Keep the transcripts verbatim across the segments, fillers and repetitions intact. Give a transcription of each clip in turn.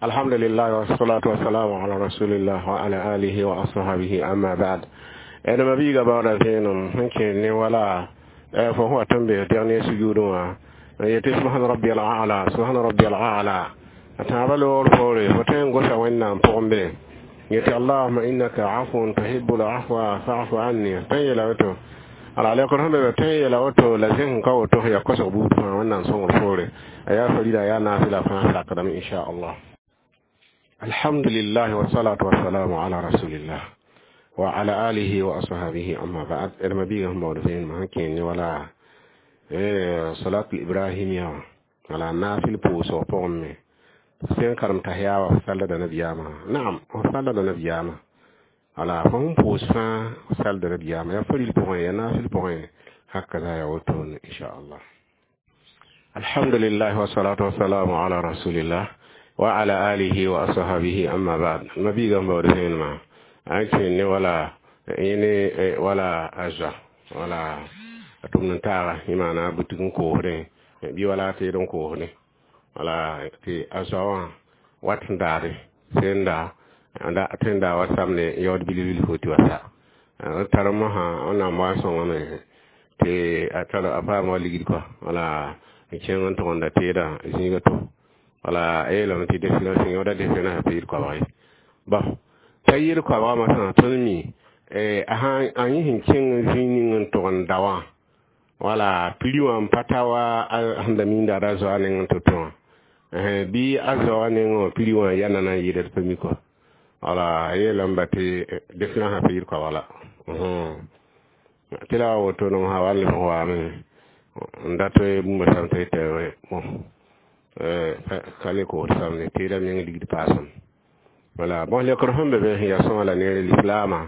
Alhamdulillah wassalatu wassalamu ala rasulillah wa ala alihi wa ashabihi, amma ba'd. Ẽdma biiga baooda vẽenem sẽn kẽ ne wala fo sẽn wat n be dernier sujudẽ wã n yetɩ subhana rabbiyal a'la, subhana rabbiyal a'la, a tãabã loogr poore fo tõe n gosa Wẽnnaam pʋgẽ be yetɩ allahuma innaka afuun tuhibbul afwa fa'fu anni. Tõe n yeela woto ala lekr sẽn be be tõe n yeela woto la zẽsẽ ka woto sẽn yaa kosg buud fãa Wẽnnaam sõngr poore a yaa farida yaa naafɩla fãa sakdame inchallah. Alhamdulillah wassalatu wassalamu ala rasulillah wa ala alihi wa ashabihi, amma ba'd. Ẽdma biiga sẽn baood vẽenemã sẽn kẽen ne wala salatul ibrahimia wala naafɩl pʋʋsg pʋgẽ me sẽn karem tahiya wã f sallda nabiyaamã. Naam, f sallda nabiyaamã wala fo sẽn pʋʋs fãa f salda nabiyaamã yaa faril pʋgẽ yaa naafɩl pʋgẽ hakaza yaa wotone inchallah. Alhamdulillah wassalatu wassalamu ala rasulillah wa ala alihi wa ashabihi, amma ba'd. Mabiiga n baood vẽenemã a kẽen ne wala yẽne wala a zoa wala a tʋmd n taaga yẽ maana bʋtɩg n koosdẽ bɩ wala a teed n koosdẽ wala tɩ a zoa wã wat n daade sẽn da tõe n daa wa samde yaood bilf bilfo tɩ wa sa d tar mosã Wẽnnaam wa n sõngame tɩ a tar a paama wa ligd kɔa wala n kẽng n tʋgenda teedã zĩiga to wala a yeelame tɩ desɩ sẽn yõoda desɩ pa yir koabg ye bɔn t'a yir koabga masã tõnd mi a yẽ sẽn kẽng zĩig ning n tʋg n da wã wala piri wã n pa ta wa sẽn da minda ra zoa neng n to-to wã bɩ a zaoogã nengẽ wã piri wã ya nana n yɩɩda d pa mi kɔ wala a yeelame ba tɩ desẽna sã pa yir koabg la tɩ la wa woto no sã wa n lebg waame n dat bũmba sãm tɩ tɩ bon ka le koosd samde teedã meng ligd paasem wala bõs lekr sẽn be be sẽn yaa sõma la neere lislaamã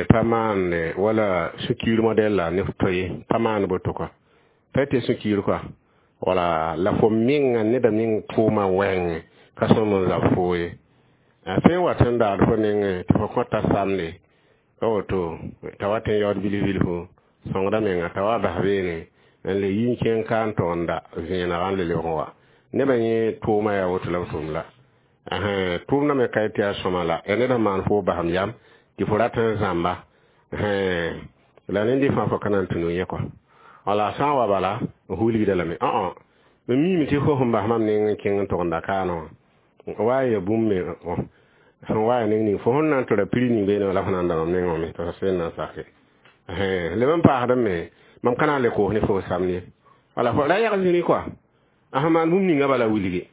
pa maande wala sũ-kiir modɛl la ne f to ye pa maan boto kɔa pa tɩ sũ-kiir kɔa wala la fo menga neda meng tʋʋma wɛɛngẽ ka sõm n zab foo ye a tõe n wat n daad fo nengẽ tɩ fo kõta samde ka woto t'a wat n yaood bilf bilfu sõngda menga t'a wa bas beene n le yi n kẽng ka n tog n da vẽenega n le lebg n wa nebã yẽ tʋʋma yaa woto la b tʋʋm la tʋʋmdã me ka tɩ yaa sõma la ya ned sẽn maan fo basem yam tɩ fo rat n zãmba la ned fãa fo ka na n tũ yẽ kɔa wala sã n wa bala n hulgda lame õ m miime tɩ fo sẽn bas mam neng n kẽng n tʋgenda kaanã wã wa n ya bũmb me sẽn wa ya neng ning fo sẽn na n tʋra piri ning beene la fo na n da mam nengẽ wã me tɩ f sẽn na n sake leb n paasdame me mam ka na n le koos ne fo samd ye wala fo ra yag zĩri kɔa a sẽn maan bũmb ninga bala wilgi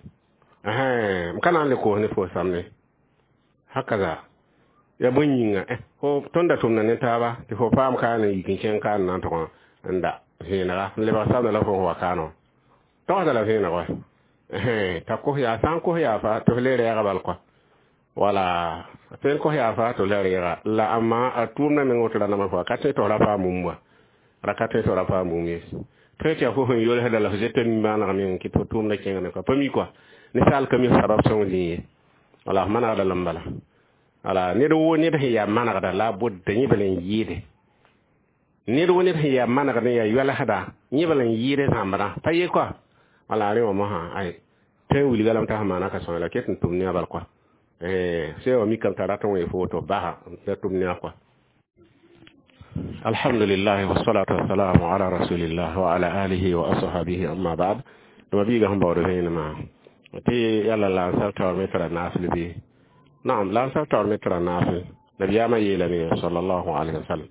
m ka na n le koos ne fo samde hakaza ya bõe yĩnga fo tõnd da tʋmda ne taaba tɩ fo paam kaan n yik n kẽng kaan na n tʋg n da vẽenega n lebg samda la fo sẽn wa kaanã togsda la vẽeneg wa t'a kos yaa sã n kos yaa fa tɩ f le rɛɛga bal kɔa wala tõe n kos yaa fa tɩ f le rɛɛga la amma a tʋʋmdã meng woto ra nama fo ka tõe tɩ f ra paam bũmb wa ra ka tõe tɩ f ra paam bũmb ye tõe tɩ yaa fo sẽn yolsda la f zeta nimbãaneg meng kɩ tɩ fo tʋʋmdã kẽngame kɔa pa mi kɔa ninsaal ka mi sabab sõng zĩig ye wala f manegda lame bala wala ned woo ned sẽn yaa manegda la a bʋdda yẽ bala n yɩɩde ned wo ned sẽn yaa manegd n yaa yoalsda yẽ bala n yɩɩd zãmbdã pa ye kɔa wala rẽ wã mosã ay tõe n wilga lame t'a sẽn maana ka sõe la ket n tʋm ne a bal kɔa sẽn wa mikame t'a rat n wee fo tɩ f basa la tʋm ne a kɔa. Alhamdulillah wassalatu wassalamu ala rasulillah wa ala alihi wa ashabihi, amma ba'd. Dama biiga sẽn baood vẽenemã tɩ yalla la n taoor me tara naafɩl bɩ naam la n taoor me tara naafɩl nabiyaamã yeelame sallallahu alaihi wasallam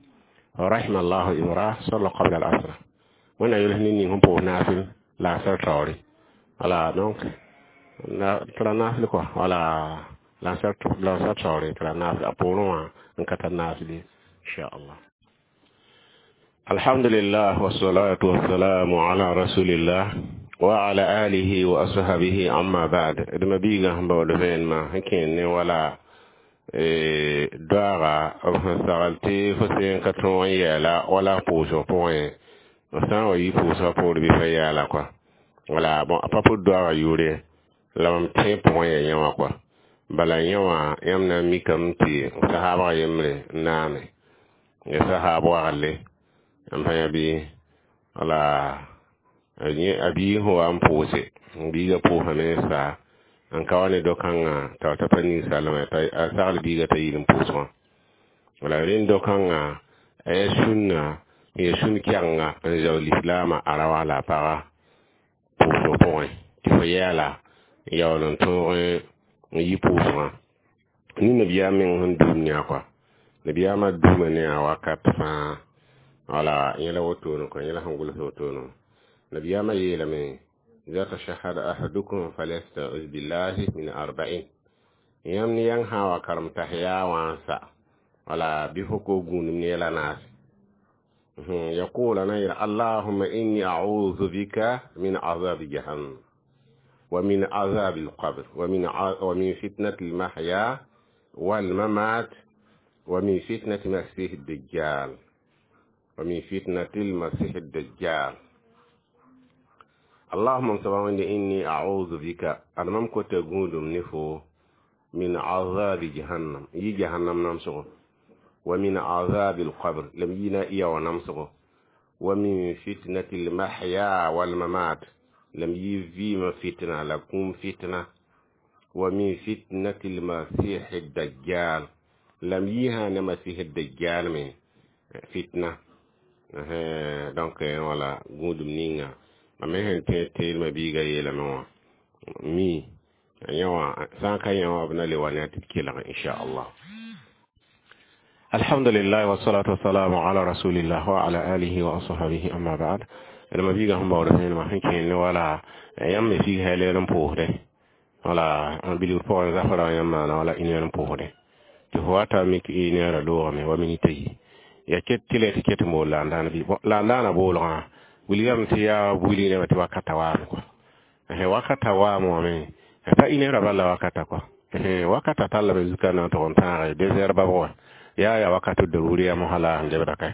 rahima allahu imra salla qabla al asr wẽnna yols ne ning sẽn pʋʋs naafɩl la a sar taoore wala donc tara naafɩl kɔa wala la n sar taoore tara naafɩl a poorẽ wã n ka tar naafɩl ye inchallah. Alhamdulillah wassalatu wassalamu ala rasulillah wa ala alihi wa ashabihi, amma ba'd. Dma biiga sẽn baood vẽenemã sẽn kẽen ne wala doaaga b sẽn sagl tɩ fo seen ka tõog n yɛɛla wala pʋʋsg pʋgẽ f sã n wa yi pʋʋsgã poor bɩ fa yaala kɔa wala bon a pa pʋd doaaga yʋʋre la mam tẽ pʋgẽ yaa yẽ wã kɔa bala yẽ wã yãmb na n mikame tɩ sahaabga yembre n naame ya sahaab wagle n pa yã bɩ wala a biig sẽn wa n pʋʋse biigã pʋʋsame n sa N ka wa ne do-kãngã t'a t'a pa ninsaalame t'a sagl biiga t'a yɩl n pʋʋsgã. Wala rẽnd do-kãngã a yaa sũnna n yaa sũn kɛgenga n zao lislaamã a ra wa la a paga pʋʋsg pʋgẽ tɩ fo yɛɛla n yaool n tõog n yi pʋʋsgã. Ni nabiyaam meng sẽn duum ne a kɔa, nabiyaamã duuma ne a wakat fãa. Wala yẽla wotone kõ, yẽla sẽn gʋls wotone wã, nabiyaamã yeelame: إذا تشهد أحدكم فليستعذ بالله من أربعين. Yãmb ne yãng sã wa karem tahiya wã n sa, wala bɩ fo ko gũudum ne yɛla naase. يقول أنا: اللهم إني أعوذ بك من عذاب جهنم ومن عذاب القبر ومن ومن فتنة المحيا والممات ومن فتنة المسيح الدجال ومن فتنة المسيح الدجال. اللهم سبحانه إني أعوذ بك أنا مم كنت نفو من عذاب جهنم يي جهنم نمسغ، ومن عذاب القبر لم ينا إيا ونمسغ، ومن فتنة المحيا والممات لم يفيم فتنة لكم فتنة، ومن فتنة المسيح الدجال لم يهان مسيح الدجال من فتنة. Donc voilà, gũudum ninga mam me sẽn tẽ teelmã biiga yeelame wã mi yã wã sã n ka yã wã b na le wa ne a tɩ d kelg, inchallah. الحمد لله والصلاة والسلام على رسول الله وعلى آله وأصحابه أما بعد. لما بيغا هم باور سين ما كين ولا يام في هلال بوهده wala bilgr pʋgẽ zafra yãmb maana wala une heure n pʋʋsdẽ tɩ fo wa ta mik une heure loogame wa minit ayi ya ket tɩ la tɩ ket n bool la n dãan bɩ la n daana boolgã wilgame tɩ yaa wilg nebã tɩ wakata waame kɔa wakata waame wã me pa une heure bal la wakata kɔa wakata tallame zuka na n tʋg n tãage deux heures babg wã yaa yaa wakat daruri yaa mosã la sẽn lebda kae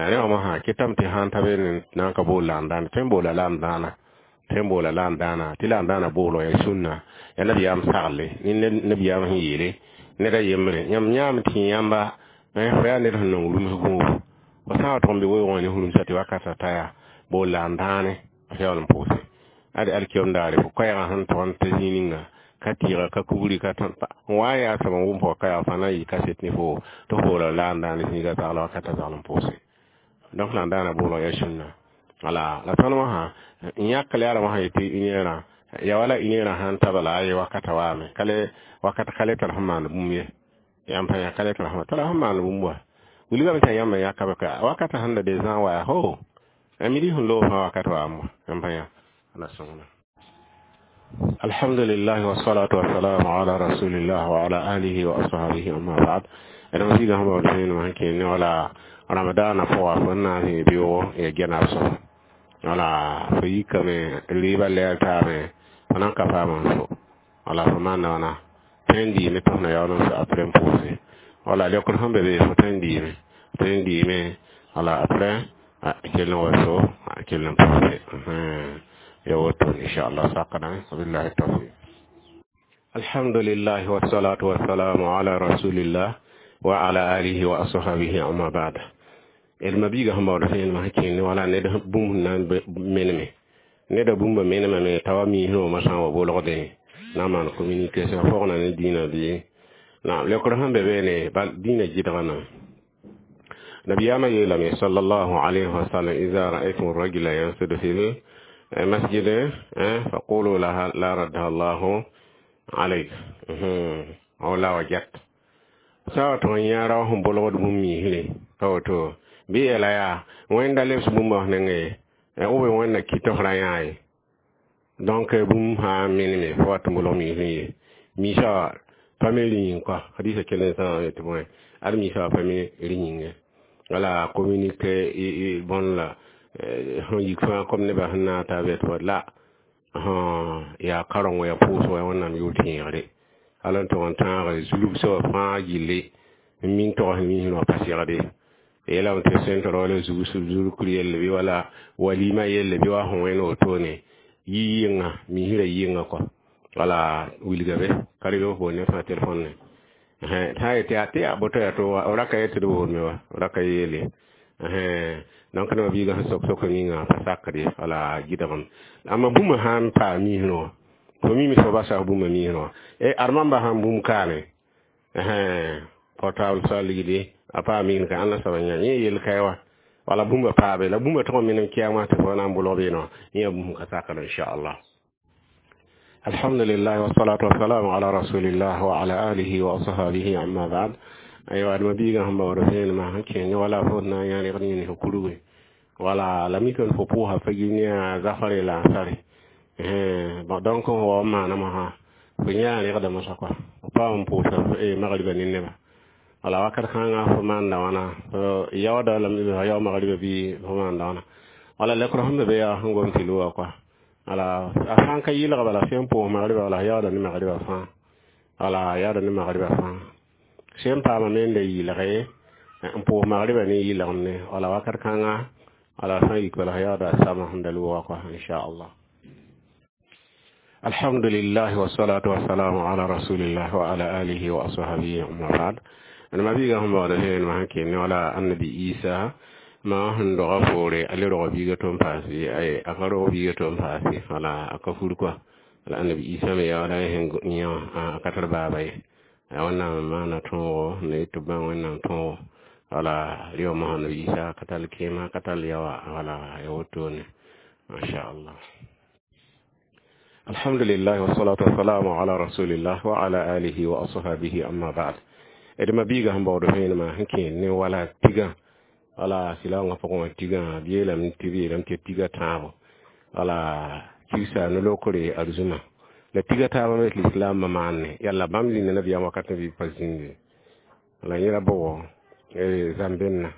rẽ wã mosã kɩtame tɩ sãn ta be na n ka bool la n dãana tõe n boola la n dãana tõe n boola la n dãana tɩ la n dãana boolg yaa sũnna yaa nabiyaam sagle ne nabiyaam sẽn yeele ned a yembre yãmb yãame tɩ yãmba fo yaa ned sẽn nong rũms gũubu fo sã n wa tʋg n be weoogẽ ne rũmsã tɩ wakata ta yaa bool la n dãane f yaool n pʋʋse ade alkiyom daare fo koɛɛgã sẽn tʋg n ta zĩig ninga ka tɩɩga ka kubri ka tõn n wa n yaa soab n wʋm fo ka yaa fã na n yɩ kaset ne fo tɩ f boola la n dãane zĩiga zagla wakata zagl n pʋʋse. Donc la n daana boolg yaa sũnna. Wala la tõnd wã n yãk la yaa wã yetɩ une heure ya wala une heure sãn ta bala aye wakata waame kale wakata kale tar sẽn maan bũmb ye yãmb pa yã kale tar sẽn tara sẽn maan bũmb wa wilgame t'a yãmb yãkame ka wakata sẽn da de zã wa ho a midi sẽn loog fãa wakat waam wa yãmb pa yã ala sõngna. الحمد لله والصلاة والسلام على رسول الله وعلى آله وأصحابه أما بعد. أنا في هم بودين ما كين ولا رمضان فوا فنا في بيو يجنا سو wala fo yikame riba lɛɛr taame fo nan ka paam n so wala fo maan wãna tõe n diime tɩ f na yaool n so après n pʋʋse wala leokd sẽn be be fo tõe n diime tõe n diime wala après kell n wa so kell n pʋʋse ya woto inchallah sakadame. Wabillahi tawfiq. الحمد لله والصلاة والسلام على رسول الله وعلى آله وأصحابه أما بعد. El mabiiga sẽn baood sẽn yelmã sẽn kẽnd wala ned bũmb sẽn na n meneme neda bũmba menemame t'a wa miisẽ wã sã n wa bolgdẽ na n maan communication fogna ne dĩinã bɩ naam leokr sẽn be beene bal dĩinã gɩdgã nabiyaamã yeelame صلى الله عليه وسلم: إذا رأيتم الرجل ينسد في المسجد فقولوا لها لا ردها الله عليك أو لا وجدت sã wa tʋg n yã rao sẽn bolgd bũmb miisre ka woto bɩ yeela yaa wẽnda lebs bũmba f nengẽ ye b wẽnna kɩt f ra yã ye. Donc bũmb sã n meneme fo wa tɩ bolg miisẽ ye miisã pa me rĩ yĩng kɔa hadisa kell n sã tɩ bõe ad miisã wa pa me rĩ yĩnge wala communiqué bõn la sẽn yik fãa kom nebã sẽn na n taa bɛt la yaa kareng yaa pʋʋsg yaa wẽnnaam yʋʋr tẽegre hal n tʋg n tãag zulgsã wã fãa gilli n min togs miisẽ wã pa segde yeelame tɩ sẽn tɩ wala zulkr yelle bɩ wala walima yelle bɩ wa sẽn wẽnd wotone yi yɩnga miisrã yɩnga kɔ wala wilga be ka rɩg f bool ne fãa telefon ne sã n yetɩ yaa tɩ yaa boto yaa to raka yetɩ d boolme wa raka yeele. Donc nebã biigã sẽn sok sok ninga pa sakd ye wala gɩdgem amma bũmb sã n paa miisrẽ wã Fo mimi fo basa bũmba miisẽ wã e ad-mamba sãn bũmb kaane portable soa ligdi a paa miisẽ ka ãnda soaba yã yẽ yel kae wa wala bũmba paabe la bũmba tʋg n minim kɛɛngã tɩ fo na n bʋlg beene wã yẽ bũmb ka sakd inchallah. Alhamdulillah wassalatu wassalamu ala rasulillah wa ala alihi wa ashabihi amma ba'd. Aywa adma biiga sẽn baood vẽenemã sẽn kẽng wala fo na n yã rẽgd yĩns kurgi wala la mikame fo pʋʋsa fagir ne a zafare la ansare. Bon, donc fo wa n maana mosã fo yã rẽgda mosã kɔa fo paam n pʋʋsa magriba ne neba wala wakat kãngã fo maanda wãna fo yaooda lame fo yao magriba bɩ fo maanda wãna wala lekr sẽn be be yaa sẽn gom tɩ loa kɔa wala a sã n ka yɩlga bala sẽn pʋʋs magriba wala yaooda ne magriba fãa wala yaooda ne magriba fãa sẽn paama me n da yɩlge n pʋʋs magriba ne yɩlgemne wala wakat kãngã wala sã n yik bala yaooda sama sẽn da loogã kɔa inchallah. Alhamdulillah wassalatu wassalamu ala rasulillah wa ala alihi wa ashabihi amma ba'd. Ana mabiga sẽn baood vẽenemã sẽn kẽ ne wala annabi Isa ma sẽn doga poore a le rog biiga tɩ n paase a ka rog biiga tɩ n paase wala a ka fur kɔa wala annabi Isa me yaooda sẽn yã wã a ka tar baaba ye ya wẽnnaam maana tõogo na yet tɩ b bãng wẽnnaam tõogo wala rɩ wã mosã annabi Isa ka tall kẽema ka tall yaoa wala ya wotone machallah. Alhamdulillah wassalatu wassalamu ala rasulillah wa ala alihi wa ashabihi amma ba'd. D ma biiga sẽn baood vẽenemã sẽn kẽ ne wala tigã wala sɩlaoongã pʋgẽ wã tigã b yeelame tɩ b yeelame tɩ tiga tãabo wala kibsa no-lokre arzũma la tiga taabã me tɩ lislaambã maanne yalla bãmb zĩnda nabiyaam wakat bɩ pa zĩnde wala yẽla bʋgo zãmbẽnna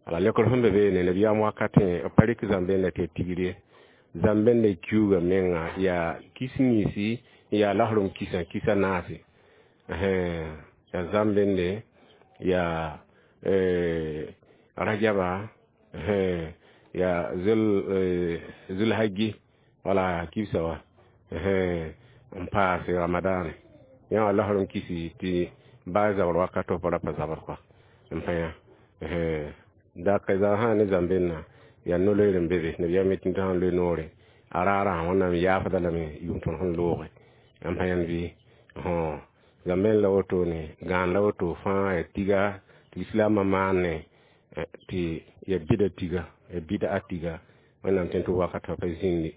wala lekr sẽn be beene nabiyaam wakatẽ b pa rɩk zãmbẽnda tɩ ya tigr ye zãmbẽnda kiuuga menga yaa kis yĩnsi yaa lasrem kisã kisa naase yaa zãmbẽnde yaa rajaba yaa zulhajji wala kibsa wa n paase ramadane yã wã lasrem kisi tɩ baa zabr wakato pa ra pa zabr kɔa n pa yã dak zã sã ne zãmbẽnna yaa no-loeer n be be nabiyaam yetɩ tɩ sãn loe noore a raarã wẽnnaam yaafda lame yʋʋm tõnd sẽn looge n pa yãnd bɩ zãmbẽn la wotone gãan la woto fãa ya tiga tɩ lislaambã maane tɩ ya bɩda tiga ya bɩda a tiga wẽnnaam tẽn tɩ wakatã pa zĩndi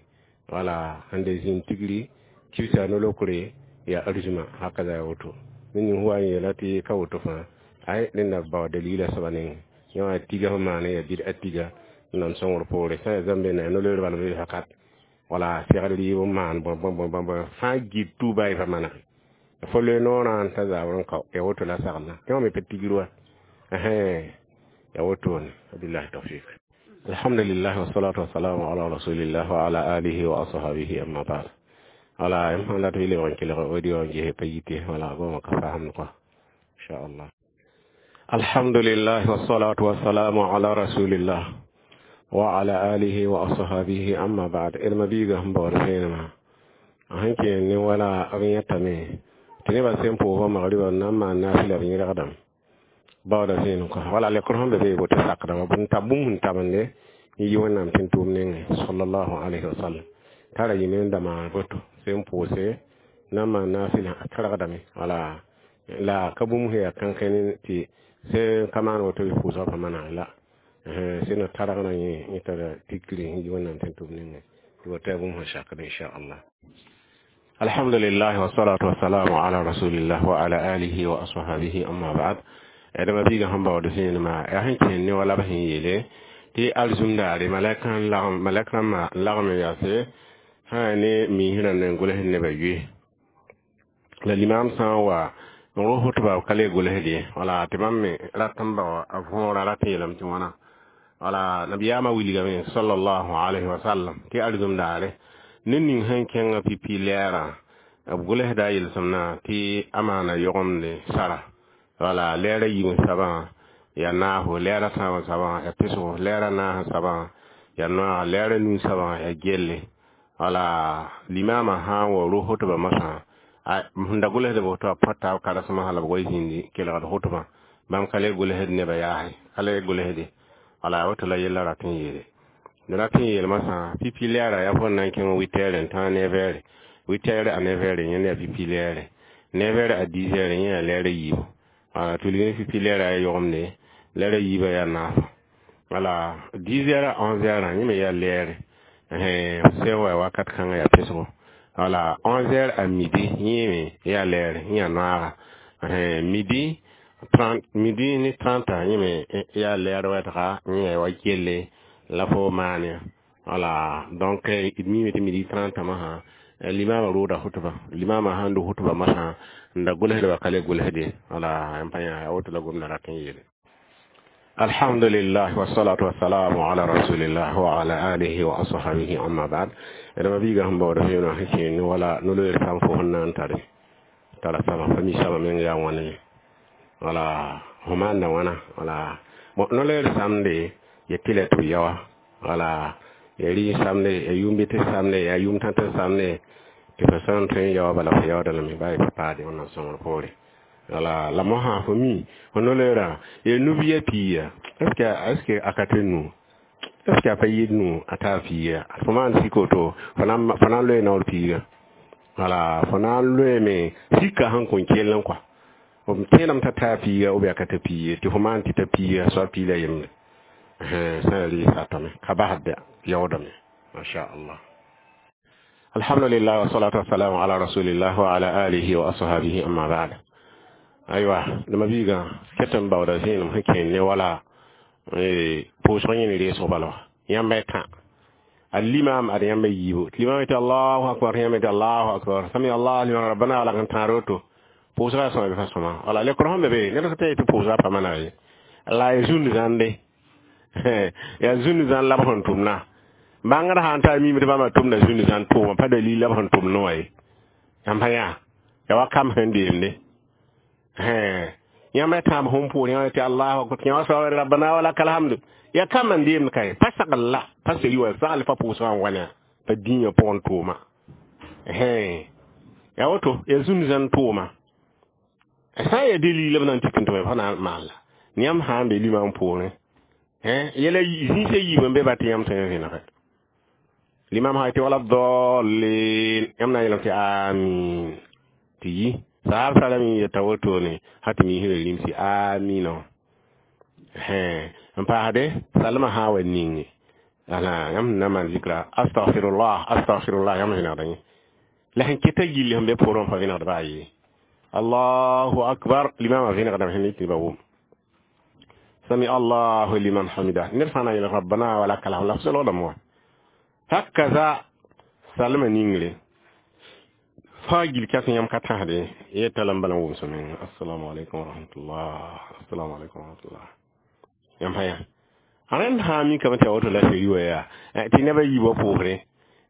wala sẽn da zĩnd tigri kibsa no-lokre ya arzũma haka ya woto ned ning wa n yeela tɩ ka woto fãa ay rẽnda bao dalila soaba nengẽ yã wã tiga sẽn maane ya bɩd a tiga n sõngr poore sã ya zãmbẽnda ya no-loeer bala be fakat wala segd rɩɩb n maan bõe bõe bõe bõe fãa git tuuba y pa manege fo loe noorã n ta zabr n kao ya woto la saglã tɩ wã me pa tigr wa ya wotone wabillahi tawfik. Alhamdulillah wassalatu wassalamu ala rasulillah wa ala alihi wa ashabihi amma ba'd. Wala m sãn dat tɩ lebg n kelg audio n ges pa yite wala goma ka faamd kɔa inchallah. Alhamdulillah wassalatu wassalamu ala rasulillah wa ala alihi wa ashabihi amma ba'd. D ma biiga sẽn baood vẽenemã sẽn kẽ ne wala b yẽtame tɩ nebã sẽn pʋʋsã magriba n na n maan naafɩla b yẽlgdame baooda vẽenem kɔa wala lekr sẽn be be woto sakdame b n tab bũmb sẽn tabende n yi wẽnnaam tẽn tʋʋm nengẽ sallallahu alayhi wa sallam tara yĩme n da maan boto sẽn pʋʋse na n maan naafɩlã a targdame wala la ka bũmb sẽn yaa kãnkẽ tɩ sẽn ka maan woto bɩ pʋʋsgã pa maneg la sẽn na targna yẽ yẽ tara tikri n yi wẽnnaam tẽn tʋʋm nengẽ tɩ woto yaa bũmb sẽn sakd inchallah. Alhamdulillah wassalatu wassalamu ala rasulillah wa ala alihi wa ashabihi amma ba'd. D ma biiga sẽn baood vẽenemã yaa sẽn kẽnd ne wala b sẽn yeele tɩ arzũm daare malɛk rãmbã n lagem n yaase sã yaa ne miisẽ rãnd n gʋls nebã yoe la limaam sã n wa n ros hotba ka le gʋlsd ye wala tɩ bãmb me rat n bao a võora rat n yeelame tɩ wãna wala nabiyaamã wilgame sallallahu alayhi wa sallam tɩ arzũm daare ned ning sẽn kẽngã pipi lɛɛrã b gʋlsda a yelsẽmnã tɩ a maana yogemde sara wala lɛɛrã yiib sabã ya naasgo lɛɛrã tãab sabã ya pesgo lɛɛrã naas sabã ya noaag lɛɛrã nuu sabã ya gelle wala limaamã sã n wa ros hotbã masã sẽn da gʋlsd b woto a põta b karesmã la b goe zĩndi kelgd hotbã bãmb ka le gʋlsd nebã yaase ka le gʋlsde wala woto la yella rat n yeele d rat n yeel masã pipi lɛɛra yaa fõn na n kẽng witɛɛr n tãag ne vɛɛre huit heures à neuf heures yẽnd yaa pipi lɛɛre neuf heures à dix heures yẽ yaa lɛɛr a yiibu wala tulg ne pipi lɛɛrã yaa yogemde lɛɛr a yiibã yaa naasã wala dix heures à onze heures yẽ me yaa lɛɛre sẽn wa wakat kãngã yaa pesgo wala onze heures à midi yẽ me yaa lɛɛre yẽ yaa noaaga midi trente midi ne trente yẽ me yaa lɛɛr wɛtga yẽ yaa wa kelle la fo maan ya wala donc d miime tɩ midi trente masã limama rooda hutba limama sãn do hutba masã n da gʋlsdba ka le gʋlsde wala n pa yã yaa woto la gomda rat n yeele alhamdulillah wassalatu wassalamu ala rasulillah wa ala alihi wa ashabihi amma ba'd d mabiiga sẽn baood vẽenã sẽn kẽen wala no-loeer sãn fo sẽn na n tare tara sama fa mi sama meng yaa wãne ye wala fo maanda wãna wala bon no-loeer samde ya tɩ la tɩ b yaoa wala ya rɩ samde ya yʋʋm-bɩt samde ya yʋʋm tãt samde tɩ fo sã n tõe n yaoa bala fo yaooda lame baa y paade wẽnnaam sõngr poore wala la mosã fo mi fo no-loeerã ya nub-ya piiga est ce que est ce que a ka tɩ nu est ce que a pa yɩɩd nu a taa piiga fo maan sik woto fo na n loe naoor piiga wala fo na n loeeme sika sẽn kõn kell n kɔa b tẽedame t'a taa piiga ou bien a ka ta piig ye tɩ fo maan tɩ ta piiga soab piig la yembre sã yaa rɩɩsa tame ka basd yaoodame masha allah alhamdulillah wassalatu wassalamu ala rasulillah wa ala alihi wa ashabihi amma ba'd aywa dama biiga ket n baooda zẽenem sẽn kẽen ne wala pʋʋsg yẽ ne reesg bala wã yãmba y tã al limam ad yãmba yiibu tɩ limam yetɩ allahu akbar yãmba yetɩ allahu akbar sami allah liman rabbana wa lakal tãar woto pʋʋsga yaa sõma bɩ fa sõma wala lekr sẽn be be ned sã tɩ pʋʋsga pa mana ye la ya zũnd zãnde yaa zũnd zãn la b sẽn tʋmna bãngd sã n taa miime tɩ bãmba tʋmda zũnd zãn tʋʋma pa dalil la b sẽn tʋmd wã ye yãmb pa yã ya wa kam sẽn deemde yãmb ya tãab sẽn pʋʋr yãmb tɩ allahu akbar yãmb soab rabbana wa lakal hamdu ya kam n deemd ka ye pa sagl la pa seri wa sagl pa pʋʋsgã n wa pa dĩigã pʋgẽ tʋʋma ya woto ya zũnd zãn tʋʋma sã n yaa dalil b na n tik n tʋme fa na n maan la yãmb sã n be limam poorẽ yɛla zĩisã yiib n be ba tɩ yãmb tõe n vẽnege limam sã tɩ wala dallin yãmb na n yeelame tɩ amin tɩ yi saab salame yeta wotone ha tɩ misrã rimsi amina n paasde salmã sã n wa ninge ala yãmb sẽn na n maan zikra astaghfirullah astaghfirullah yãmb vẽnegda yẽ la sẽn keta gilli sẽn be poorẽ pa vẽnegd baa ye allahu akbar limamã vẽnegdame sẽn tɩ ba wʋm sami allahu liman hamida ned fãa na n yeel rabbana wa lakal hamd la f solgdame wa hakaza salmã ningre fãa gil kas yãmb ka tãsde yeta la n bala n wʋmsã meng assalamu alaikum warahmatullah assalamu alaikum warahmatullah yãmb pa yã rẽnd sã n mikame tɩ ya woto la seri wa yaa tɩ nebã yiibã pʋʋsrẽ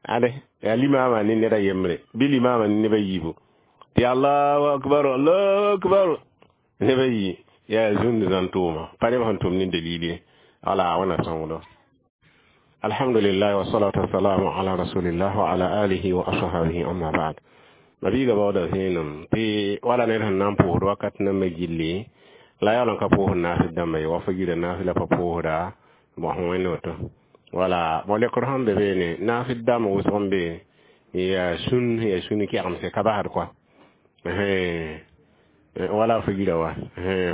ade yaa limama ne neda yembre bɩ limama ne nebã yiibu tɩ allahu akbar allahu akbar nebã yi yaa zũnd zãn tʋʋma pa neb sẽn tʋm ne dalil ye wala wẽna sõngdo alhamdulillah wassalatu wassalamu ala rasulillah wa ala alihi wa ashabihi amma ba'd mabiiga baooda zẽenem tɩ wala ned sẽn na n pʋʋsd wakat nambã gilli la yaool n ka pʋʋsd naasd dãmba ye wa fo gira naas la pa pʋʋsda bõ sẽn wẽnd woto wala bõ lekr sẽn be beene naasd dãmb wʋsg n be yaa sũn yaa sũn kɛgemse ka basd kɔa wala fo gira wa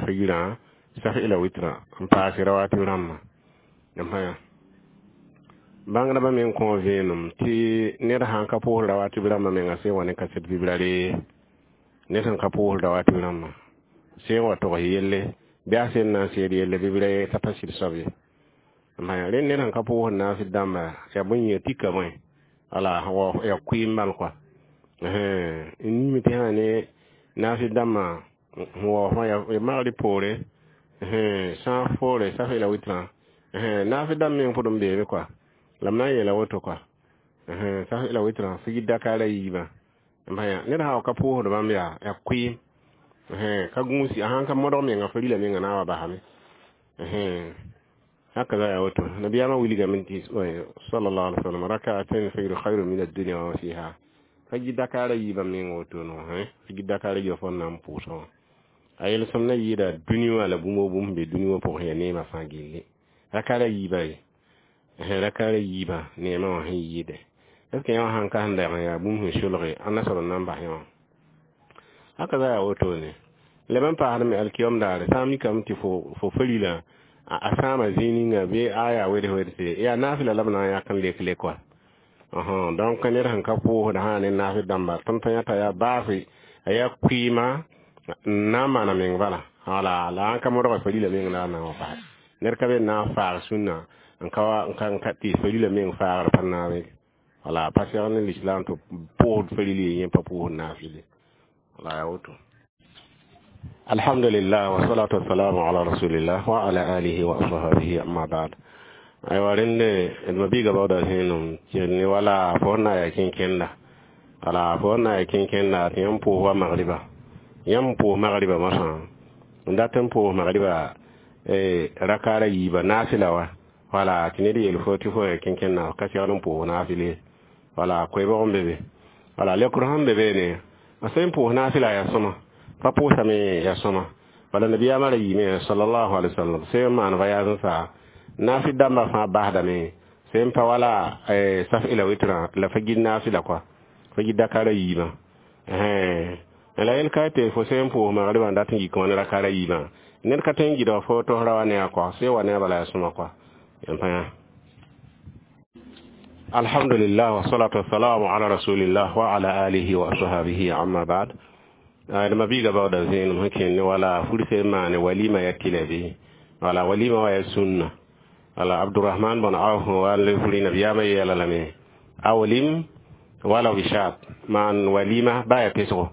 fo girã saf ila witrã n paase rawatib rãmbã yãmb pa yã bãngdbã meng kõ vẽenem tɩ ned sãn ka pʋʋs rawatib rãmbã menga sẽn wa ne kaset bibrare ned sẽn ka pʋʋs rawatib rãmbã sẽn wa togs yelle bɩ a sẽn na n seed yelle bɩ bɩ t'a pa sɩd soab ye rẽnd ned sẽn ka pʋʋsd naasd dãmba yaa bõe yĩnga tika bõe wala yaa kʋɩɩm bal kɔa n niime tɩ sã ne naasd dãmbã sẽn waoos wã ya magrɩ poore sã n foore saf ila witrã naasd dãmb meng pʋd n beebe kɔa la m na n yeela woto kɔa saf ila witrã figid dakaara yiibã ned sã wa ka pʋʋsd bãmb yaa yaa kʋɩɩm ka gũusi a sãn ka modg menga fo rila menga na n wa basame hakaza yaa woto nabiyaamã wilgame tɩ sallallahu alaihi wasallam rak'atain fajr khairu min ad-dunya wa ma fiha fagid dakaara yiibã meng woto no figid dakaara yiibã fo n na n pʋʋsã wã a yelsem na yɩɩda dũni wã la bũmb bũmb be dũni wã pʋgẽ yaa neemã fãa gilli rakaara yiibã ye rakaara yiibã neemã wã sẽn yɩɩde Est ce que yã sãn ka sẽn lɛg n yaa bũmb sẽn solge ãnna soab n na n bas yã wã? Haka za yaa wotone. Leb n paasd me alkiyom daare, sã n mikame tɩ fo fo farilã a sãama zĩig ninga bɩ a yaa weds wedse, yaa naafɩla la b na n yãk n lek lek wa. Donc ned sẽn ka pʋʋsd sã ne naafɩ dãmba, tõnd pa yãta yaa baase, a yaa kʋɩɩma n na n maana meng bala. Wala la n ka modga farila meng la a na n wa basɛ. Ned ka be n na n faag sũnna n ka n ka n ka tɩ farila meng faagr pa naame. Wala pa segd ne l'islam tɩ pʋʋsd faril yẽ pa pʋʋsd naafɩle. Wala yaa woto. Alhamdulillah, wa salatu wassalamu ala rasulillah wa ala alihi wa ashabihi, amma ba'd. Aywa, rẽnde d mabiiga baooda zẽenem ne wala fo na ya kẽnkẽnda. Wala fo na ya kẽnkẽnda tɩ yãmb pʋʋs wa magriba, yãmb pʋʋs magriba mosã, n dat n pʋʋs magriba rakaara yiiba naafɩla wa. Wala tɩ ned yeel fo tɩ fo ya kẽnkẽnda ka segd n pʋʋs naafɩle. Wala koeebg n be be. Wala lekr sẽn be beene, a sẽn pʋʋs naafɩla yaa sõma, pa pʋʋsame yaa sõma. Bala nabiyaamã ra yiime sallallahu alaihi wasallam sẽn maan voyage n sa, naafɩ dãmbã fãa basdame sẽn pa wala saf la witrã la fa gid naafɩla kɔa, fa gid dakara yiibã. La yel ka tɩ fo sẽn pʋʋs magribã n dat n yik wã ne rakara yiibã, ned ka tõe n gɩdg fo tosra wa ne a kɔa sẽn wa ne a bala yaa sõma kɔa. Yãmb pa yã. Alhamdulillah, wa salatu wassalamu ala rasulillah wa ala alihi wa ashabihi, amma ba'd. D mabiiga baooda zẽenem sẽn kẽnd ne wala fur sẽn maane walima ya tɩlɛ bɩ. Wala walima wa ya sũnna. Wala Abdurahman bn Auf wa n le furi, nabiyaamã yeela lame: awlim wala bishat, maan walima ba ya pesgo,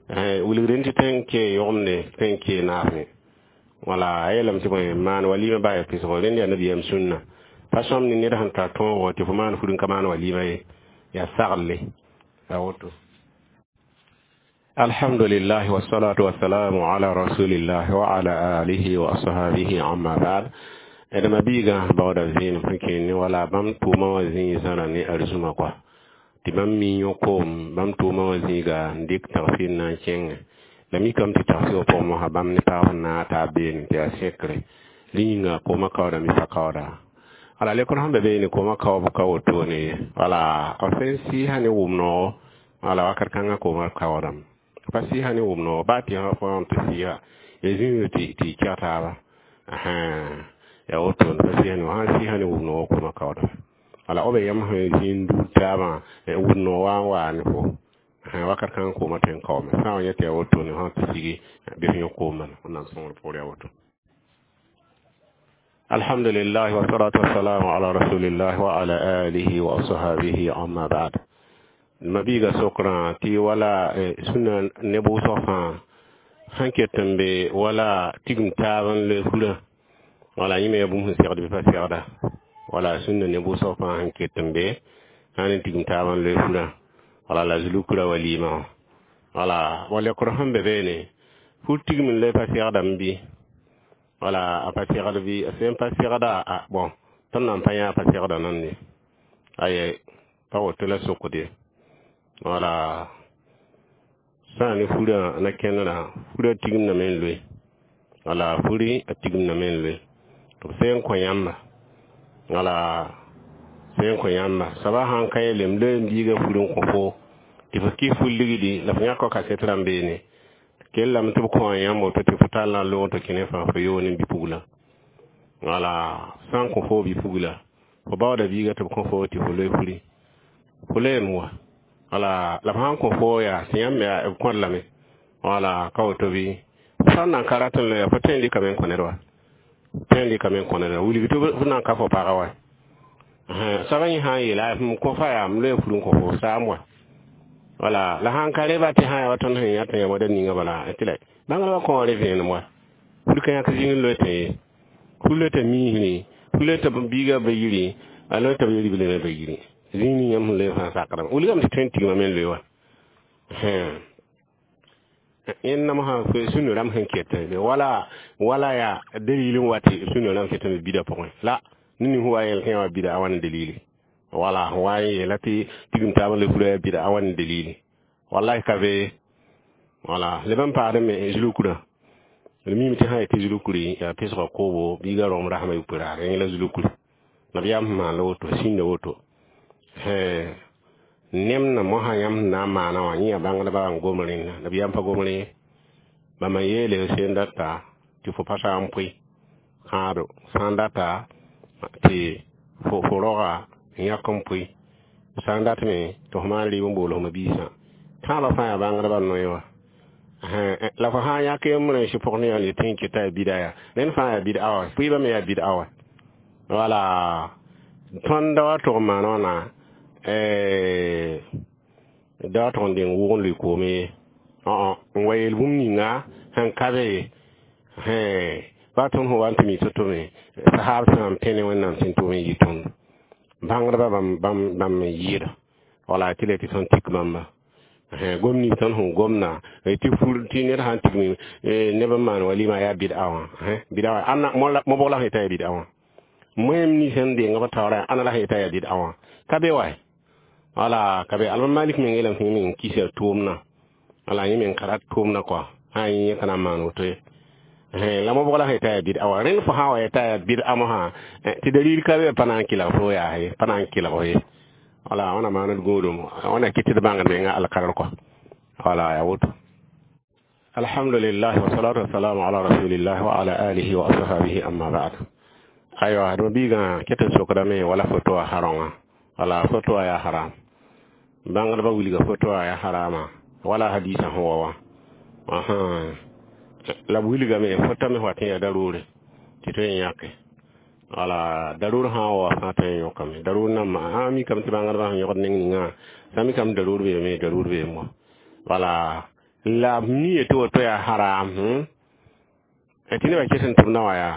wilgd tɩ tõe n kee yʋgemde, tõe n kee naasẽ. Wala a yeelame tɩ bõe, maan walima ba ya pesgo, rẽnd yaa nabiyaam sũnna. Pa sõm ne ned sẽn tar tõogo tɩ fo maan fur n ka maan walima ye, yaa saglle a woto. Alhamdulillah, wassalatu wassalamu ala rasulillah wa ala alihi wa ashabihi, amma ba'd. D mabiigã baooda zẽenem sẽn kẽnd ne wala bãmb tʋʋmã wã zĩig zãra ne arzũma kɔa, tɩ bãmb mi yõ-koom bãmb tʋʋmã wã zĩiga n dɩk tagsɩr n na n kẽngẽ. La mikame tɩ tagsɩ wã pʋgẽ mosã bãmb ne paab n naag taab beene tɩ yaa sẽkre rẽ yĩnga koomã kaoodame pa kaooda. Wala lekr sẽn be beene, koomã kaoob ka wotone ye. Wala b sẽn sɩɩsã ne wʋm-noogo, wala wakat kãngã koomã kaoodame pa sɩɩsã ne wʋm-noogo baa tɩ fo tɩ sɩɩsa ya zĩig tɩ tɩ kɛg taaba yaa wotone. Pa sɩɩsã ne sãn sɩɩsã ne wʋm-noogo, koomã kaoodame. Wala b yãmb sẽn zĩig n duud taabã wʋm-noog wa n waa ne fo wakat kãngã koomã tõe n kaoome sã n wa yẽ tɩ yaa wotone sã tɩ sigi bɩ f yõ koom bala. Wẽnnaam sõngr pʋgr yaa woto. Alhamdulillah, wa salatu wassalamu ala rasulillah wa ala alihi wa ashabihi, amma ba'd. Mabiiga sokrã tɩ wala sũnna ne bʋʋsg fãa sẽn ket n be wala tigim taab n loe furã, wala yẽ me yaa bũmb sẽn segd bɩ pa segda. Wala sũnna ne bʋʋsg fãa sẽn ket n be sã ne tigim taab n loe furã, wala la zulukra walima wã. Wala wa lekr sẽn be beene, fur tigim n loe pa segdame bɩ? Wala a pa segd bɩ? A sẽn pa segda, a bon, tõnd nan pa yã a pa segda nande aye pa woto la sokde. Wala sã ne furã na kẽndrã, furã tigimdame n loe. Wala furi a tigimdame n loe tɩ b sẽn kõ yãmba. Wala sẽn kõ yãmba soaba sãn ka yeelem loe n biiga fur n kõ fo tɩ fo kɩ fur ligdi la fo yãk kasɛt rãmb beene kellame tɩ b kõ yãmb woto tɩ fo tall na n loog tɩ kẽ fãa fo yoone bi-pugla. Wala sã n kõ fo bi-pugla, fo baooda biiga tɩ b kõ fo tɩ fo loe furi, fo loeem wa. Wala la b sãn kõ fo yaa tɩ yãmb yaa b kõd lame. Wala ka woto bɩ? Sã n nan ka rat n loeya, fo tõe n dɩkame n kõ ned wa, tõe n dɩkame n kõ ned wa, wilg tɩ f nan ka fo pagã wa. Soaba yẽ sã n yeela m kõ fa yaa m loe fur n kõ fo saam wa. Wala la sãn ka reba tɩ sã yaa wa tõnd sẽn yã tɩ ya wada ninga bala tɩ la bãngr wa kõ re vẽenem wa. Fur ka yãk zĩig n loe tɩ ye, fur loe tɩ miisri, fur loe tɩ biiga ba yiri, a loe tɩ b ribl me ba yiri zĩig ning yãmb sẽn loe fãa sakrame wilgame tɩ tõe n tigma me n loe wa. Yẽnd namsã sũnr rãmb sẽn ket wala wala yaa dalil n wa tɩ sũnr rãmb ket n bida pʋgẽ la ned ning wa yel kẽ wa bida a wãn dalili. Wala wa n yeela tɩ tigim taab n le fura yaa bida a wãn dalili? Wallahi ka be. Wala leb n paasd me zulkurã, d mime tɩ sã yetɩ zulukuri yaa pesga koobo biiga rogem rasmã yupʋ raar yẽ la zulukuri nabiyaam sẽn maan la woto sĩnda woto. Nem na mosã yãmb sẽn na n maana wã yẽ yaa bãngdbã n gom rẽnda la b yam pa gom rẽ bãmba yeele sẽn data tɩ fo pa saa n pʋɩ kãado sã n data tɩ fo fo roga n yãk n pʋɩ sã n dat me tɩ fo maan rɩɩb n bool f biisã tãabã fãa yaa bãngdbã noe wa la fo sã n yãk yembr n sɩ pʋg ne yaa tɩ n keta yaa bida yaa rẽnd fãa yaa bid'a wa pʋɩɩbã me yaa bid'a wa wala tõnd da wa tʋg n maan wãna da wa tʋg n deng wʋg n lʋɩ koome ye n wa yeel bũmb ninga sẽn ka be ye ba tõnd sẽn wa n tɩ mi to-to me sahaab sã n pẽne wẽnnaam sẽn tʋm n yɩ tõnd bãngdbã bãmb bãmb n yɩɩda wala tɩ le tɩ tõnd tik bãmba gom nins tõnd sẽn gomda tɩ fur tɩ ned sã n tigm neb n maan walima yaa bid'a wã bid'a wã ãnna mobg la sẽn yeta yaa bid'a wã moẽm nins sẽn deng b taoorã ãnna la sẽn yeta yaa bid'a wã ka be wa wala ka be alma malik meng yeelame tɩ yẽ meng kisa tʋʋmdã wala yẽ meng ka rat tʋʋmdã kɔa sã n yẽ ka na n maan woto ye la mobg la sẽn yeta yaa bid'a wã rẽnd fo sã wa yeta yaa bid'a mosã tɩ dalil ka be pa na n kelg fo yaa ye pa na n kelg ye wala wãna maand gũudum wãna kɩt tɩ d bãngd menga alkadr kɔa wala yaa woto alhamdulillah wasalatu wasalamu ala rasulillah wa ala alihi wa ashabihi amma ba'd aywa d biigã ket n sokdame wala foto a harõngã wala foto a yaa haram bãngdbã wilga foto a yaa harama wala hadisã sẽn wa wã la b wilgame fotame wat n yaa daroore tɩ tõe n yãke wala daroor sã n wa fãa tõe n yõkame daroor namba a mikame tɩ bãngdbã sẽn yõgd neng ningã sã mikame daroor beeme daroor beem wa wala la b mi tɩ woto yaa haram tɩ nebã ket n tʋmdã wã yaa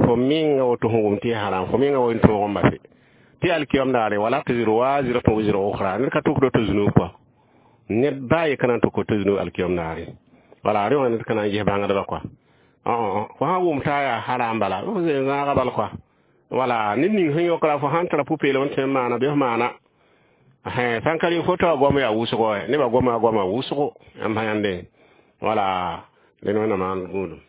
fo menga woto sẽn wʋm tɩ yaa haram fo menga wa n tõog n base tɩ alkiyam daare wala taziru waziratun wizra ukhra ned ka tʋkd to zunub kɔa ned baa ye ka na n tʋk to zunub alkiyam daare wala rẽ wã ned ka na n ges bãngdbã kɔa fo sã n wʋm t'a yaa haram bala f zãaga bal kɔa wala ned ning sẽn yõkra fo sãn tara pʋ-peelem n tõe n maana bɩ f maana sã n ka rɩ foto a goam yaa wʋsgo nebã goama goama wʋsgo yãmb sã yãnde wala dẽn wẽnnaam maan gũudum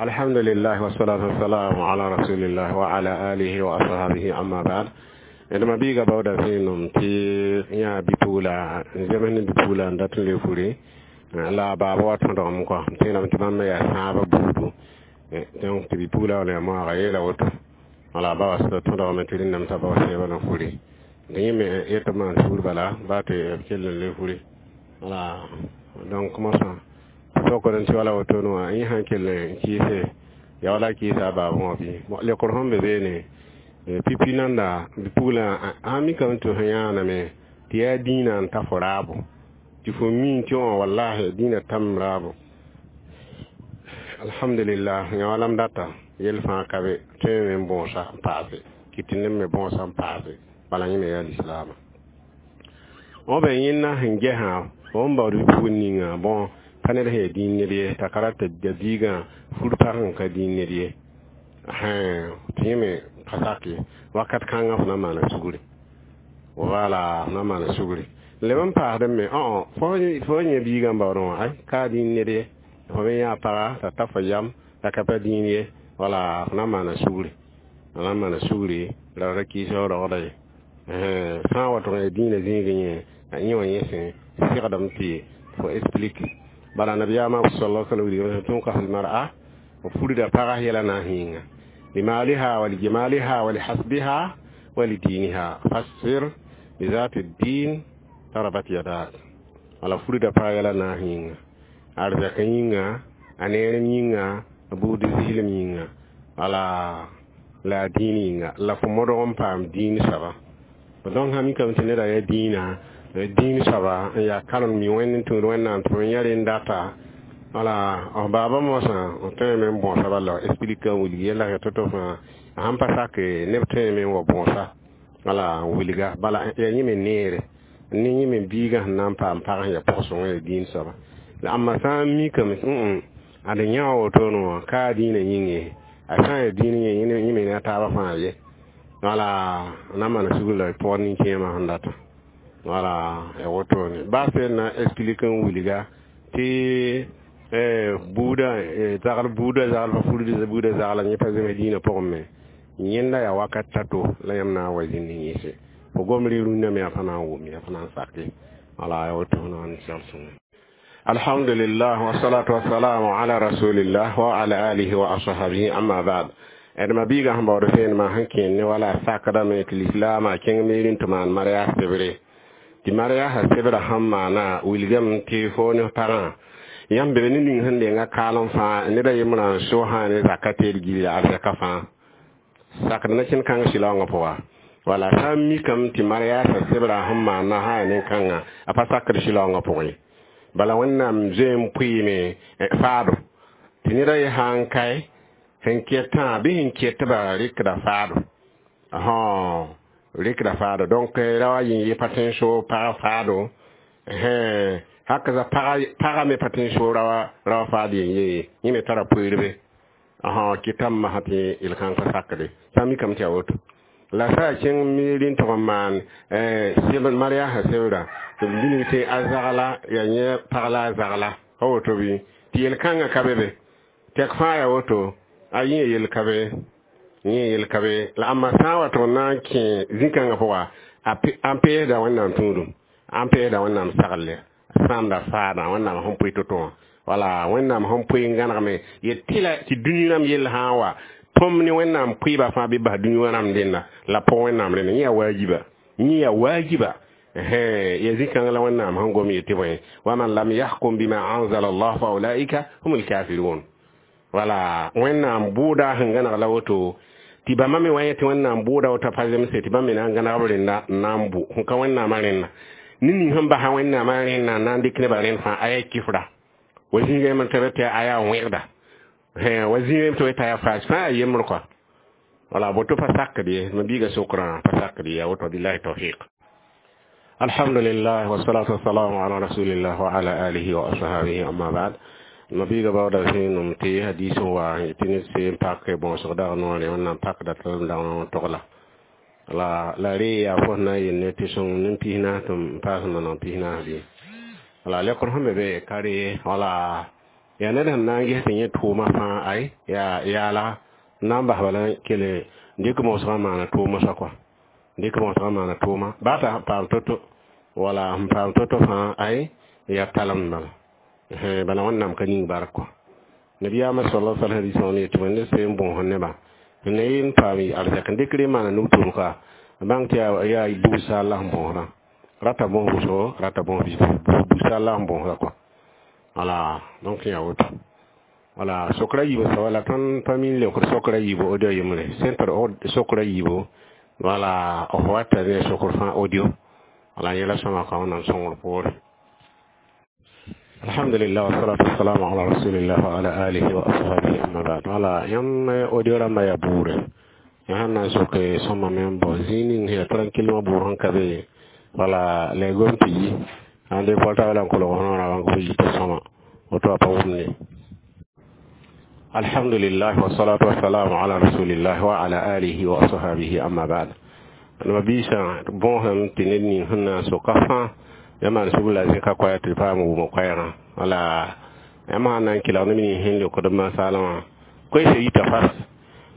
alhamdulillah wasalatu wasalamu ala rasulillah wa ala alihi wa ashabihi amma ba'd d ma biiga baooda vẽenem tɩ yã bi-pugla n zems ne bi-pugla n dat n le fure la baaba wa tõdgem kɔa m tẽedame tɩ bãmb yaa sãabã buudu donc tɩ bi-pugla wa la moaga yeela woto wala ba wa tõdgame tɩ rẽndame t'a bao sẽebã na fure yẽ me yetɩ maan sugr bala baa tɩ b kell n le fure wala donc mosã sokd n tɩ wala wotone wã yẽ sã n kell n kɩɩse ya wala kɩɩsa a baabẽ wã bɩ lekr sẽn be beene pipi nanda bi-pugla a mikame tɩ sẽn yãaname tɩ yaa dĩinã n ta fo raabo tɩ fo mi tɩ wã wallahi dĩinã tam raabo alhamdulillah yã wala m data yel fãa ka be tõe me n bõosa n paase kɩ tɩ neb me bõosa n paase bala yẽ me yaa lislaama b yẽnna sẽn gesã fo n baood bi-pugl ninga bõ pa ned sẽn yaa dĩin ned ye t'a ka rat t'a biigã fur pag n ka dĩin ned ye tɩ yẽ me pa sak ye wakat kãngã fo na n maana sugri wala fo na n maana sugri leb n paasd me fo yẽ biigã n baoodẽ wã ay ka dĩin ned ye fo me yã paga t'a ta fo yam t'a ka pa dĩin ye wala fo na n maana sugri fo na n maana sugri la ra kɩɩs roogda ye sã n wa tʋg n dĩinã zĩigẽ yẽ a yẽ wã yẽ sẽn segdame tɩ fo explique bala nabiyaamã sallallahu alaihi wa sallam tunkahu lmar'a furda paga yɛla na n yĩnga limaliha wa lijamaliha wa lihasbiha wa lidiniha fasfir bizati din tarabat yadak wala furda paga yɛla na n yĩnga arzɛk yĩnga a neerem yĩnga a buud zɩɩlem yĩnga wala la a dĩin yĩnga la fo modg n paam dĩin soaba donc sã mikame tɩ neda yaa dĩinã dĩin soaba n yaa karem mi wẽnd n tũud wẽnnaam tɩ ya rẽnd data wala f baaba mosã f tõeme n bõosa bala explique n wilg yɛla to-to fãa a sãn pa sak neb tõeme n wa bõosa wala n wilga bala yaa yẽ me neere ne yẽ me biigã sẽn na n paam pag sẽn yaa pʋg-sõng yaa dĩin soaba la ãmba sã n mikame ad yã wa wotone wã ka a dĩinã yĩng ye a sã n yaa dĩin yẽ yẽ me ne a taabã fãa ye wala na n maan sugr la pʋgd nin-kẽemã sẽn data wala ya wotone baa sẽn na explique n wilga tɩ buudã zagl buudã zagl fa furd buudã zagla yẽ pa zems dĩinã pʋgẽ me yẽnda yaa wakat tato la yãmb na n wa zĩnd yẽse Fo gom re rũndã me yaa pa na n wʋm yaa pa na n sak ye. Wala ya woto na n segl sõnge. Alhamdulillah, wassalatu wassalamu ala rasulillah wa ala alihi wa ashabihi, amma ba'd. D ma biigã sẽn baood vẽenemã sẽn kẽer ne wala sakdame tɩ lislaamã kẽng miir n tɩ maan mariage sebre tɩ mariaasã sebrã sẽn maana wilgame tɩ fo ne pagã yãmb be ne ning sẽn denga kaalem fãa ned a yembrã n sosã ne zaka teed gilli arzɛka fãa sakd na-kẽnd kãng sɩlaoongã pʋga. Wala sã n mikame tɩ mariaasã sebrã sẽn maana sã yaa nin-kãngã a pa sakd sɩlaoongã pʋgẽ ye. Bala Wẽnnaam zoe n pʋɩɩme faado tɩ ned a ye sã n kae sẽn ketã bɩ sẽn ketbã rɩkda faado rɩkda faado. Donc ra wa yĩng ye pa tõe n soog pagã faado, haka pagã me pa tõe n soog raoã faad yen ye. Yẽ me tara poeerbe kɩtame masã tɩ yel-kãng pa sakde sã n mikame tɩ yaa woto la sã yaa kẽng miir n tʋg n maan mariaasã sebrã tɩ b bilg tɩ a zagla yaa yẽ pag la a zagla pa woto bɩ tɩ yel-kãngã ka be be tɛk fãa yaa woto a yẽ yel ka be yẽ yel ka be la ãmba sã n wa tʋg n na n kẽ zĩ-kãngã pʋga n peesda Wẽnnaam tũudum n peesda Wẽnnaam sagl sãamda faadã Wẽnnaam sẽn pʋɩ to-to wã. Wala Wẽnnaam sẽn pʋɩ n gãnegme yet tɩ la tɩ dũni rãmb yell sã n wa tõmb ne Wẽnnaam pʋɩba fãa bɩ bas dũni wã rãmb dẽnda la pʋg Wẽnnaam rẽnda yẽ yaa waajiba yẽ yaa waajiba ya zĩ-kãng la Wẽnnaam sẽn gom yetɩ bõe waman lam yahkum bima anzala allah fa ulaika humul kafirun. Wala Wẽnnaam bʋʋda sẽn gãneg la woto tɩ bãmba me wa yẽ tɩ Wẽnnaam bʋʋda woto pa zemse tɩ bãmb me na n gãneg b rẽnda n na n bʋ sẽn ka Wẽnnaamã rẽnna ne ning sẽn basa Wẽnnaamã rẽnna n na n dɩk nebã rẽnd fãa a yaa kifra wa zĩigã yembr tɩ tɩ a yaa wẽgda wa zĩigã yembr tɩ t'a yaa faas fãa yaa yembr kɔa. Wala boto pa sakd ye ma biiga sokrã pa sakd ye yaa woto. Billahi tawfiq. Alhamdulillah, wassalatu wassalamu ala rasulillah wa ala alihi wa ashabihi, amma ba'd. Ma biiga baooda vẽenem tɩ hadis n wa tɩ ned se n pak bõosg dag noore Wẽnnaam pakda tɩ dag n togla la la re yaa fo sẽn na n yel ne tɩ sõng nin pis naas tɩ n paas n maneg pis naas bɩ wala lekr sẽn be be ka re wala yaa ned sẽn na n ges tɩ yẽ tʋʋma fãa ay yaa yaala n na n bas bala kele n dɩk mosgã maana tʋʋma soa kɔa dɩk mosgã maana tʋʋma baa t'a paam to-to wala sẽn paam to-to fãa ay yaa talemd bala bala Wẽnnaam ka ning bark kɔ. Nabiyaamã sala sal hadis wã yetɩ wẽnd se n bõos nebã ne n paam arzɛk n dɩk re maana nug-tʋʋm ka bãng tɩ yaa bugsa la sẽn bõosdã rata bõos wʋsgo rata bõos bugsa la sẽn bõosda kɔa. Wala donc yaa woto wala sokra yiibu soaba la tõnd pa mi n leokd sokra yiibu audio yembre sẽn tar sokra yiibu wala f wata ne sokr fãa audio wala yẽla sõma ka Wẽnnaam sõngr poore. Alhamdulillah, wassalatu wassalamu ala rasulillah wa ala alihi wa ashabihi, amma ba'd. Wala yãmb audio rãmbã yaa buure yã sẽn na n soke sõma me n bao zĩig ning sẽn yaa tranquillement buur sẽn ka be wala la y gom tɩ yi ãn de portable n kolg f noorã bãng f yita sõma woto a pa wʋmde. Alhamdulillah, wassalatu wassalamu ala rasulillah wa ala alihi wa ashabihi, amma ba'd. Ma biisã bõosem tɩ ned ning sẽn na n soka fãa yãmb maan sugr la zẽka koɛɛg tɩ paam wʋm koɛɛgã wala yãmb sãn na n kelg ne ning sẽn leokd masaalã wã koeesã yita fas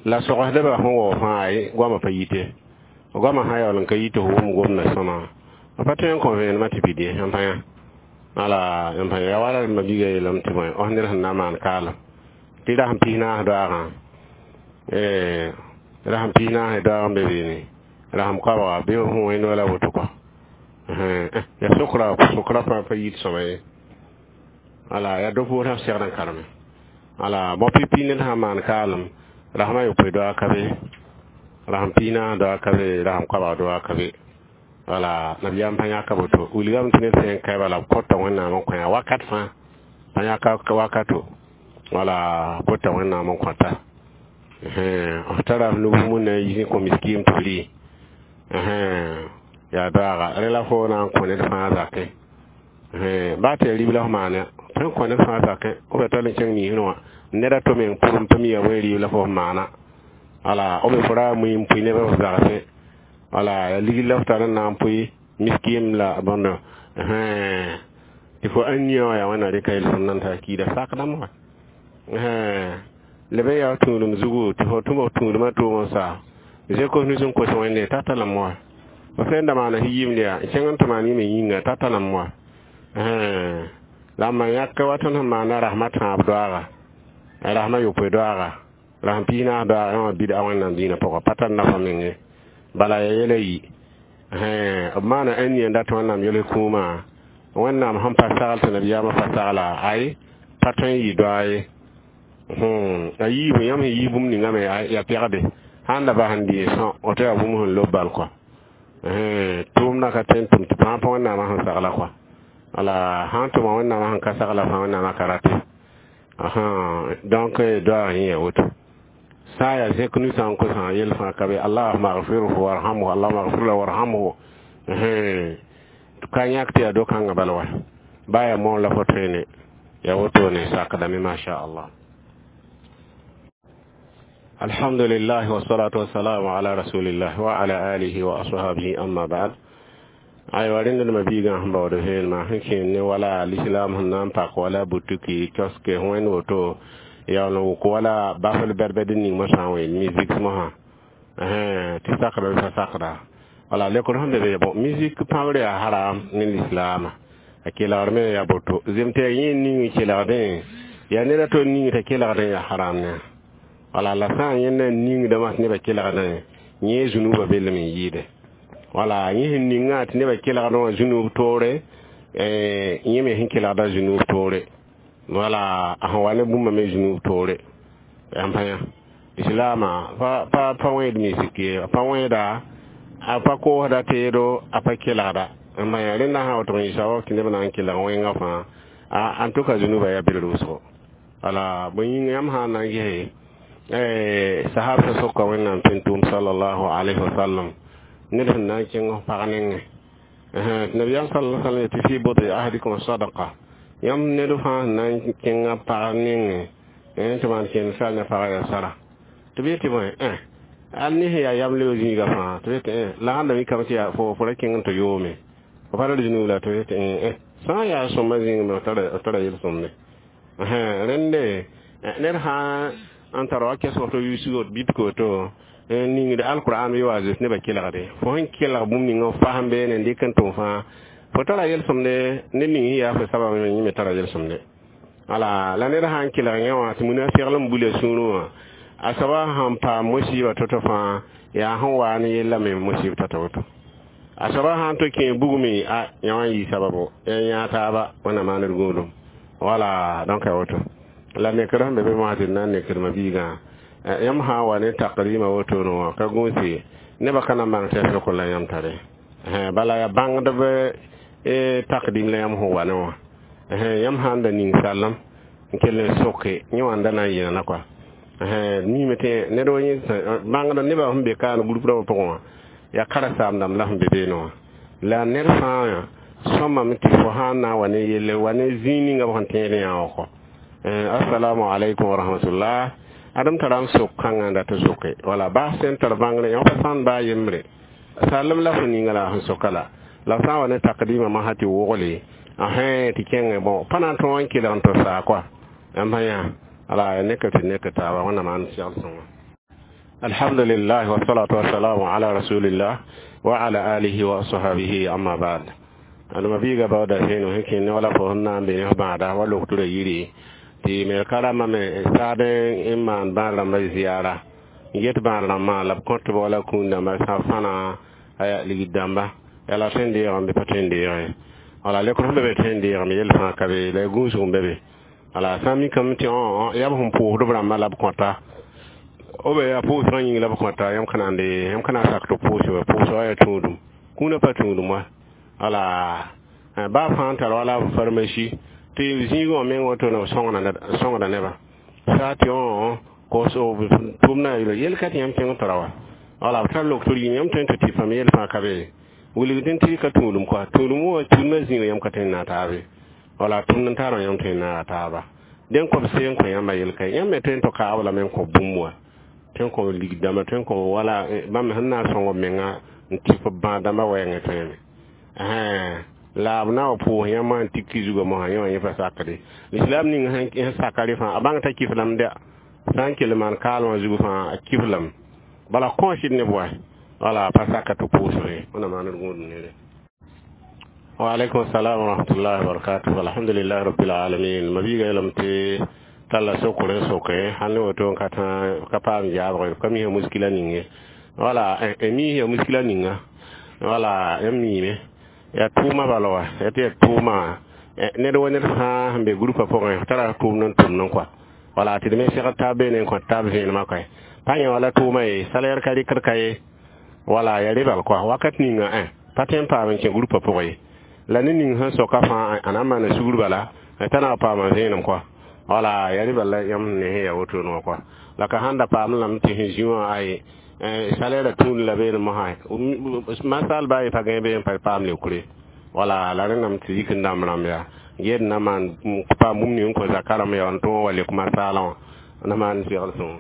la sogsdbã sẽn wao fãa ay goamã pa yite goamã sã yaool n ka yit f wʋm gomda sõma pa tõe n kõ vẽenemã tɩ pid ye yãmb pa yã wala yãmb pa ya wala ma biiga yeelame tɩ bõe os ned sẽn na n maan kaalem tɩ rasem pis naas doaagã rasem pis naas doaag n be beene rasem koabga bɩ f wẽnd wala woto kɔ ya sokra sokra fãa pa yit sõma ye wala yaa do-poosã f segd n kareme wala bao pipi ned sã n maan kaalem rasmã yopoe doaag ka be rasem pis naas doaag ka be rasem koabg doaag ka be wala nabiyaam pa yãka woto wilgame tɩ ned sẽn kae bala b kõta Wẽnnaam n kõ wakat fãa pa yãka wakato wala bota Wẽnnaam n kõta f tara f nub na n yiis n kõ miskiim tɩ b rɩ yaa doaaga rẽ la fo na n kõ ned fãa zakẽ baa tɩ yaa rib la f maane tõe n kõ ned fãa zakẽ b tall n kẽng niisẽ wã ned a to meng pʋrem tɩ mi yaa bõe rɩɩb la fo f maana wala b fo ra a mui n pʋɩ neb f zagsẽ wala yaa ligd la f tar n na n pʋɩ miskim la bõndo tɩ fo ãn yã wã yaa Wẽnna rɩka yel-sõmd n tar kiida sakdame wã leb n yaa tũudum zugu tɩ fo tʋm f tũudmã tʋʋm n sa zekos nus n kos Wẽnde t'a talame wã. Fo sẽn da maana yɩɩmd yaa kẽng n tɩ maan yĩme yĩnga t'a talame wa la m ma yãk wa tõnd sẽn maana rasmã tãab doaaga rasmã yopoe doaaga rasm piis naas doaaga wã bida wẽnnaam dĩinã pʋgã pa tar nafa menge bala ya yɛla yi b maana ãn dat wẽnnaam yels kũumã wẽnnaam sẽn pa sagl tɩ nabiyaamã pa sagla ay pa tõe n yɩ doa ye a yiibu yãmb sẽn yii bũmb ningame yaa pɛgde sãn da bas n dɩ sõ woto yaa bũmb sẽn lob bal kɔa tʋʋmdã ka tõe n tʋm tɩ fãa pa wẽnnaamã sẽn sagla kɔa wala sãn tʋma wẽnnaamã sẽn ka sagla fãa wẽnnaamã ka rate donc doaag yẽ yaa woto sã n yaa zẽk nusã n kosã yel fãa ka be allahuma agfirhu warhamhu allahuma agfir lahu warhamhu ka yãk tɩ yaa do-kãngã bala wa baa yaa moon la fo tõene yaa wotone sakdame masha allah alhamdulillah wassalatu wassalamu ala rasulillah wa ala alihi wa ashabihi amma ba'd aywa rẽnd dma biigã sẽn baood vẽenemã sẽn kẽen ne wala l'islam sẽn na n pak wala butuki kioske wẽnd woto yaool n wʋk wala bafl bɛd-bɛd ning mosã n ween musique mosã tɩ sakda bɩ pa sakda wala lekr sẽn be be bon musique pãbr yaa haram ne l'islaama a kelgr me yaa boto zem tɩ yaa yẽ ning kelgdẽ yaa ned a to ning t'a kelgdẽ yaa haram ne wala la sã n yẽnda ningdãmã tɩ nebã kelgdẽ yẽ zũnubã bellem n yɩɩde wala yẽ sẽn ningã tɩ nebã kelgdẽ wã zũnub toore yẽ me sẽn kelgda zũnub toore wala a sẽn wa ne bũmba me zũnub toore yãmb pa yã islaama pa pa pa wẽed misik ye pa wẽeda a pa koosda teedo a pa kelgda n ma yaa rẽnda sã woto n yɩ sabab tɩ neb na n kelg wẽngã fãa en tout cas zũnubã yaa bel wʋsgo wala bõe yĩnga yãmb sã n na n gese sahab sã soka wẽnnaam tẽn-tʋʋm sallallahu alayhi wa sallam ned sẽn na n kẽng f pag nengẽ tɩ nabiyaam sala sallam yetɩ fi budi ahadikum sadaqa yãmb ned fãa sẽn na n kẽnga pag nengẽ tɩ maan kẽnd sal ne pagã yaa sara tɩ b yetɩ bõe al ne sẽn yaa yam leo zĩiga fãa tɩ b yetɩ la sãn da mikame tɩ yaa fo fo ra kẽng n tɩ yoome fo pa ra zũnug la tɩ b yetɩ sã n yaa sõma zĩig me f tara yel-sõmde rẽnde ned sã n tar wa kɛsg to yuusgo bɩt koto ningd alquran bɩ wa zems nebã kelgde fo sẽn kelg bũmb ninga f fasem beene n dɩk n tʋm fãa fo tara yel-sõmde ned ning sẽn yaa fo sabab yẽ me tara yel-sõmde wala la ned sã n kelg yẽ wã tɩ munafɩgl n bula sũurẽ wã a soaba sẽn paam musiba to-to fãa yaa sẽn waa ne yella me musib tata woto a soaba sãn to kẽ bugme a yã wã n yɩ sababo ya yã taaba wẽnnaam maand d gũudum wala donc a woto la nekr sẽn be be mosã tɩ d na n nekdmã biigã yãmb sã n wa ne taqrima wotone wã ka gũuse nebã ka na n bãng tɩ yaa fɩk la yãmb tare bala yaa bãngdb taqdim la yãmb sẽn wa ne wã yãmb sã n da ning sallem n kell n soke yẽ wã n da na n yẽlna kɔa miime tɩ ned wa yẽ bãngd nebã sẽn be kaan group rãmbã pʋgẽ wã yaa karen-saam dãmb la sẽn be beene wã la ned fãa sõmame tɩ fo sã n na n wa ne yelle wa ne zĩig ninga b sẽn tẽed yã wã kɔ assalamu alaikum wa rahmatullah adem tara n sok kãngã n dat n soke wala bas sẽn tar bãngre yã pa sãn baa yembre sallem la fo ninga la sẽn soka la la sã n wa ne takdima masã tɩ wogle asẽ tɩ kẽngẽ bõ pa na n tõog n kelg n tɩ saa kɔa yãmb yã ala nekr tɩ nekr taaba wẽnnaam maan segl sõnga alhamdulillah wassalatu wassalamu ala rasulillah wa ala alihi wa ashabihi amma ba'd adama biiga baooda sẽn sẽn kẽnd wala fo sẽn na n be ne f bãada wa logtra yiri tɩ me karamba me saad n maan bãad rãmbã ziyara n get bãad rãmbã la b kõt b wala kũun dãmba sã fãna aya ligd dãmba yaa la tõe n deegame bɩ pa tõe n deege wala lekr sẽn be be tõe n deegame yell fãa ka be la y gũusg n be be wala sã n mikame tɩ yaa b sẽn pʋʋsd b rãmbã la b kõta o be yaa pʋʋsgã yĩng la b kõta yãmb ka na n de yãmb ka na n sak tɩ pʋʋs wa pʋʋsgã yaa tũudum kũunã pa tũudum wa wala baa fãa n tar wala pharmacie tɩ zĩigã wã meng woto na sõngda nebã saa tɩ kos tʋmna yel ka tɩ yãmb kẽng tara wa wala b tar lok tɩ yĩm yãmb tõe n tɩ tɩ pame yel fãa ka be wilgd tɩ ka tũudum kɔa tũudum wã tũudmã zĩigã yãmb ka tõe n naag taabe wala tʋmd n tarã yãmb tõe n naaga taaba dẽn kõ b see n kõ yãmba yel ka yãmb me tõe n tɩ kaab lame n kõ bũmb wã tõe n kõ lig dãmba tõe n kõ wala bãmb sẽn na n sõng b menga n tɩ b bãad dãmbã wɛɛngẽ tõeme la b na wa pʋʋs yãmb n tik zugã mosã yẽ wã yẽ pa sakde lislaam ning sẽn saka rẽ fãa a bãng t'a kiflame dɛ sã n kell maan kaalmã zug fãa a kiflame bala kõosd neb wa Wala pa saka tɩ pʋʋsg ye. Wẽnna maan d gũudum nere. Wa alaikum salam wa rahmatullahi wa barakatuh. Alhamdulillah rabbil alamin. Mabiiga yeelame tɩ talla sokr n soke sãn ne woto n ka tã ka paam yaabg ka misã muskila ning ye. Wala misã muskila ninga, wala yãmb miime yaa tʋʋma bala wa ya tɩ yaa tʋʋma ned wa ned fãa sẽn be groupa pʋgẽ tara tʋʋmd n tʋmd n kɔa. Wala tɩ d me segd taab beene n kõt taab vẽenemã koɛ pa yẽ wala tʋʋma ye salaire ka rɩkd ka ye. Wala ya rebal kɔa wakat ninga pa tõe n paam n kẽ groupa pʋgẽ ye. La ne ning sẽn soka fãa a na n maana sugr bala t'a na paama vẽenem kɔa. Wala ya rebal la yãmb ne sẽn ya wotone wã kɔa. La ka sãn da paam lame tɩ sẽn zĩ wã aye salaire tũud la beene mosã masal baa ye pa gãe bee n pa paam leokre. Wala la rẽndame tɩ yik n dãmb rãmb yaa ged na maan paam bũmb ning n kõ zaka rãmb yaa n tõog wa lek masaalã wã na maan segl sõngo.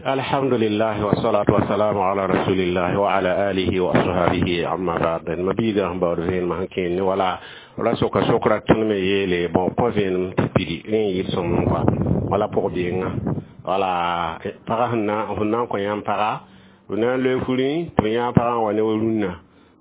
Alhamdulillah wassalatu wassalamu ala rasulillah wa ala alihi wa ashabihi, amma ba'd. Mabiiga sẽn baood vẽenemã sẽn kẽend ne wala ra soka sokra tõnd me yeele bõ kõ vẽenem tɩ pidi rẽ n yɩl sõmb kɔa wala pʋg-benga. Wala pagã sẽn na n kõ yãmb paga b na n loe furẽ tɩ b yãag pagã n wa ne wa rũnnã.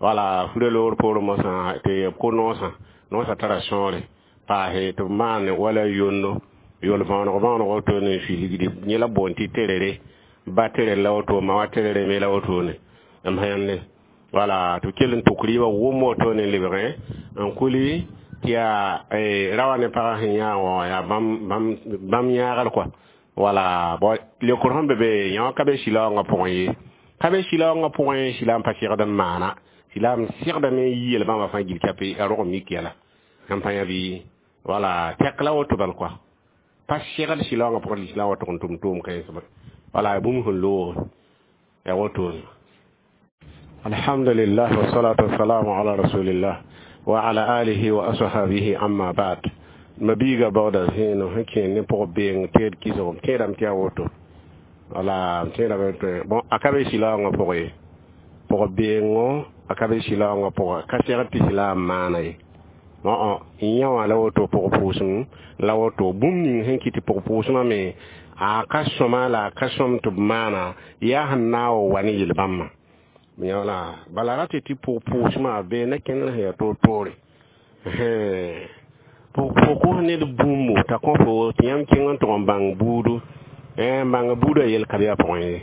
Wala furã loogr poorẽ mosã tɩ b kʋ noosã noosã tara sõore paase tɩ b maan wala yondo yol võoneg võoneg wotone n fiilgdi yẽ la boond tɩ terere ba terere la woto ma wa terere me la wotone m sẽnde. Wala tɩ b kell n tuk rɩɩbã wʋm wotone n lebgẽ n kuli tɩ yaa ra wa ne pagã sẽn yãag wã yaa bãmb yãagr kɔa. Wala leokr sẽn be be yã wã ka be sɩlaoongã pʋgẽ ye, ka be sɩlaoongã pʋgẽ sɩlaam pa segd n maana sɩlaam segdame n yi yel-bãmba fãa gil kape a rog n mik yɛla sẽn pa yã bɩ. Wala tɛk la woto bal kɔa pa segd sɩlaoongã pʋgẽ lislaam wa tʋg n tʋm tʋʋm kãens wala bũmb sẽn loog ya wotone. Alhamdulillah wassalatu wassalamu ala rasulillah wa ala alihi wa ashabihi, amma ba'd. Mabiiga baooda zẽenem sẽn kẽend ne pʋg beeng teed kɩsgem tẽedame tɩ yaa woto. Wala tẽedame tɩ bon a ka be sɩlaoongã pʋgẽ ye pʋg-beengo a ka be sɩlaoongã pʋgẽ ka segd tɩ sɩlaam maana ye. Yã wã la woto pʋg-pʋʋsem la woto bũmb ning sẽn kɩt tɩ pʋg-pʋʋsmã me a ka sõma la a ka sõm tɩ b maana yaa sẽn na n wa wa ne yel-bãmbã wala bala ra tɩ tɩ pʋg-pʋʋsmã bee na kẽndr sẽn yaa toor-toore fo kos ned bũmbu t'a kõ fo tɩ yãmb kẽng n tʋg n bãng buudu n bãng buudã yel ka be a pʋgẽ ye.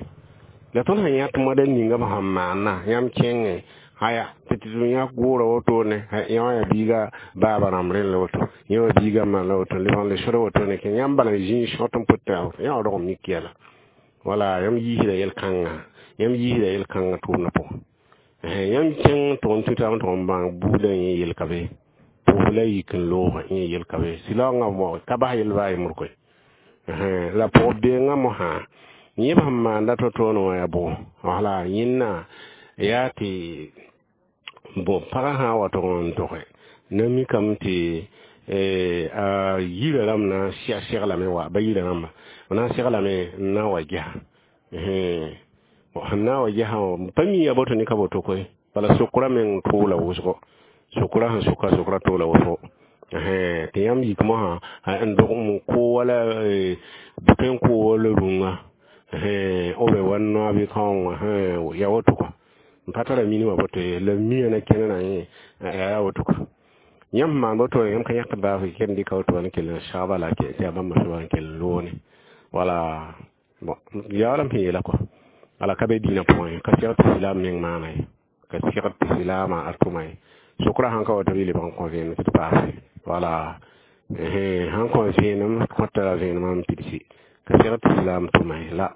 La tõnd sẽn yãt moada ninga b sẽn maana yãmb kẽngẽ aya tɩ tɩ yã goora wotone yã wã yaa biiga baaba rãmb rẽnd la woto yã wã biiga ma la woto lebg n le sod wotone kẽ yãmb bala n zĩig sõt n pʋt yã wã rog n mik yɛla. Wala yãmb yiisda yel-kãnga yãmb yiisda yel-kãngã tʋʋmdã pʋgẽ yãmb kẽng n tʋg n tũ taab n tʋg n bãng buudã yẽ yel ka be pʋʋs la yik n loogã yẽ yel ka be sɩlaoongã mo ka bas yel baa yembr koe la pʋg-beengã mosã yẽ b sẽn maanda to-toone wã yaa bʋ. Wala yẽnna yaa tɩ bon pagã sã n wa tʋg n toge na mikame tɩ a yirã rãmb na seglame wa ba yirã rãmba b na n seglame n na n wa gesa sẽn na n wa gesã pa mi ya boto ne ka boto koe. Bala sokra meng tʋʋla wʋsgo sokra sẽn soka sokra tʋʋla wʋsgo tɩ yãmb yik mosã n dog n kʋ wala bʋ tõe n kʋ wala rũngã b wa noa bɩ kaoong ya woto kɔa n pa tara minimã boto ye la mia na kẽnerã yẽ yaa woto kɔa yãmb sẽn maan woto yãmb ka yãk baaf ken dɩka woto wa n kell n sagba la tɩ yaa bãmba soaba n kell n loone. Wala bon yaoolame sẽn yeela kɔa ala ka be dĩinã pʋgẽ ka segd tɩ silaam meng maana ye ka segd tɩ silaamã a tʋma ye sokra sãn ka wa tɩ b lebg n kõ vẽenem tɩ d paase. Wala sãn kõ vẽenem kõta vẽenemã n pidsi ka segd tɩ silaam tʋma ye la.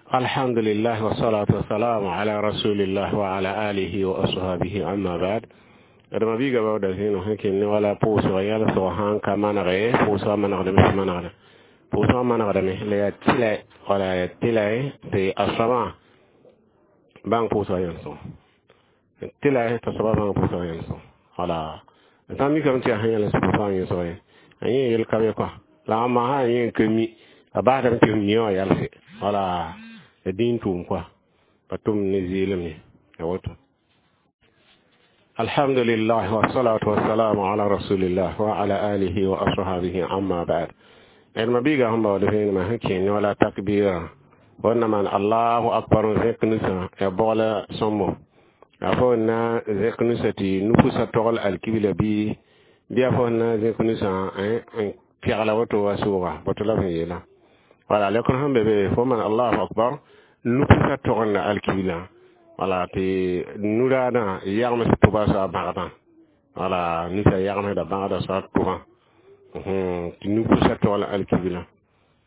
Alhamdulillah wassalatu wassalamu ala rasulillah wa ala alihi wa ashabihi, amma ba'd. Adama biiga baooda zẽenem sẽn kẽnd ne wala pʋʋsg yalsg sãn ka manege pʋʋsgã manegdame sẽn manegda pʋʋsgã manegdame la yaa tɩlɛ wala yaa tɩlɛ tɩ a soabã bãng pʋʋsgã yãlsg tɩlɛ t'a soabã bãng pʋʋsgã yãlsg. Wala sã n mikame tɩ yaa sẽn yãls pʋʋsgã yẽsg ye a yẽ yel ka be kɔa la a masã yẽ n ka mi a basdame tɩ f mi wã yalse. Wala dĩin tʋʋm kɔa pa tʋm ne zɩɩlem ye ya woto. Alhamdulillah wassalatu wassalamu ala rasulillah wa ala alihi wa ashabihi, amma ba'd. D mabiiga sẽn baood vẽenemã sẽn kẽend wala takbira Fo na maan allahu akbar n zẽk nusã ya bogla sõmbo a fo na zẽk nusã tɩ nupusa togl alkibla bɩ bɩ a fo na zẽk nusã n pɛgla woto wa sʋʋga boto la b sẽn yeela wala lekr sẽn be be fo maan allahu akbar nupusa toglda alkibla wala tɩ nuraadã yagms tʋba soa bãgdã wala nusã yagmsda bãgda soa tʋbã tɩ nupusa togl alkibla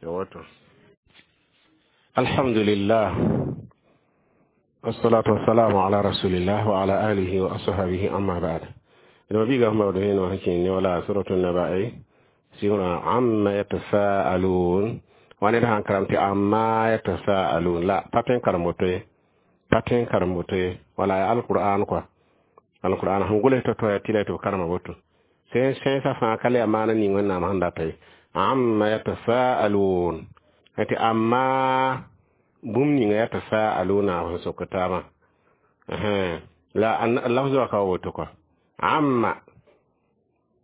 ya woto alhamdulillah والصلاة والسلام على رسول الله وعلى آله وأصحابه أما بعد إنما بيغا هم بدهين وحكين ولا سورة النبأ سيونا عما يتساءلون وانا ده كرمتي عما يتساءلون لا باتين كرموتي باتين كرموتي ولا القرآن كوا القرآن هم قوله تتوى تلا تو كرموتو سين سين سفا كالي أمانة نيوان نام هنداتي عما يتساءلون tɩ amma bũmb ninga yatasaaluna sẽn sok taabã la lafz wa ka woto kɔa amma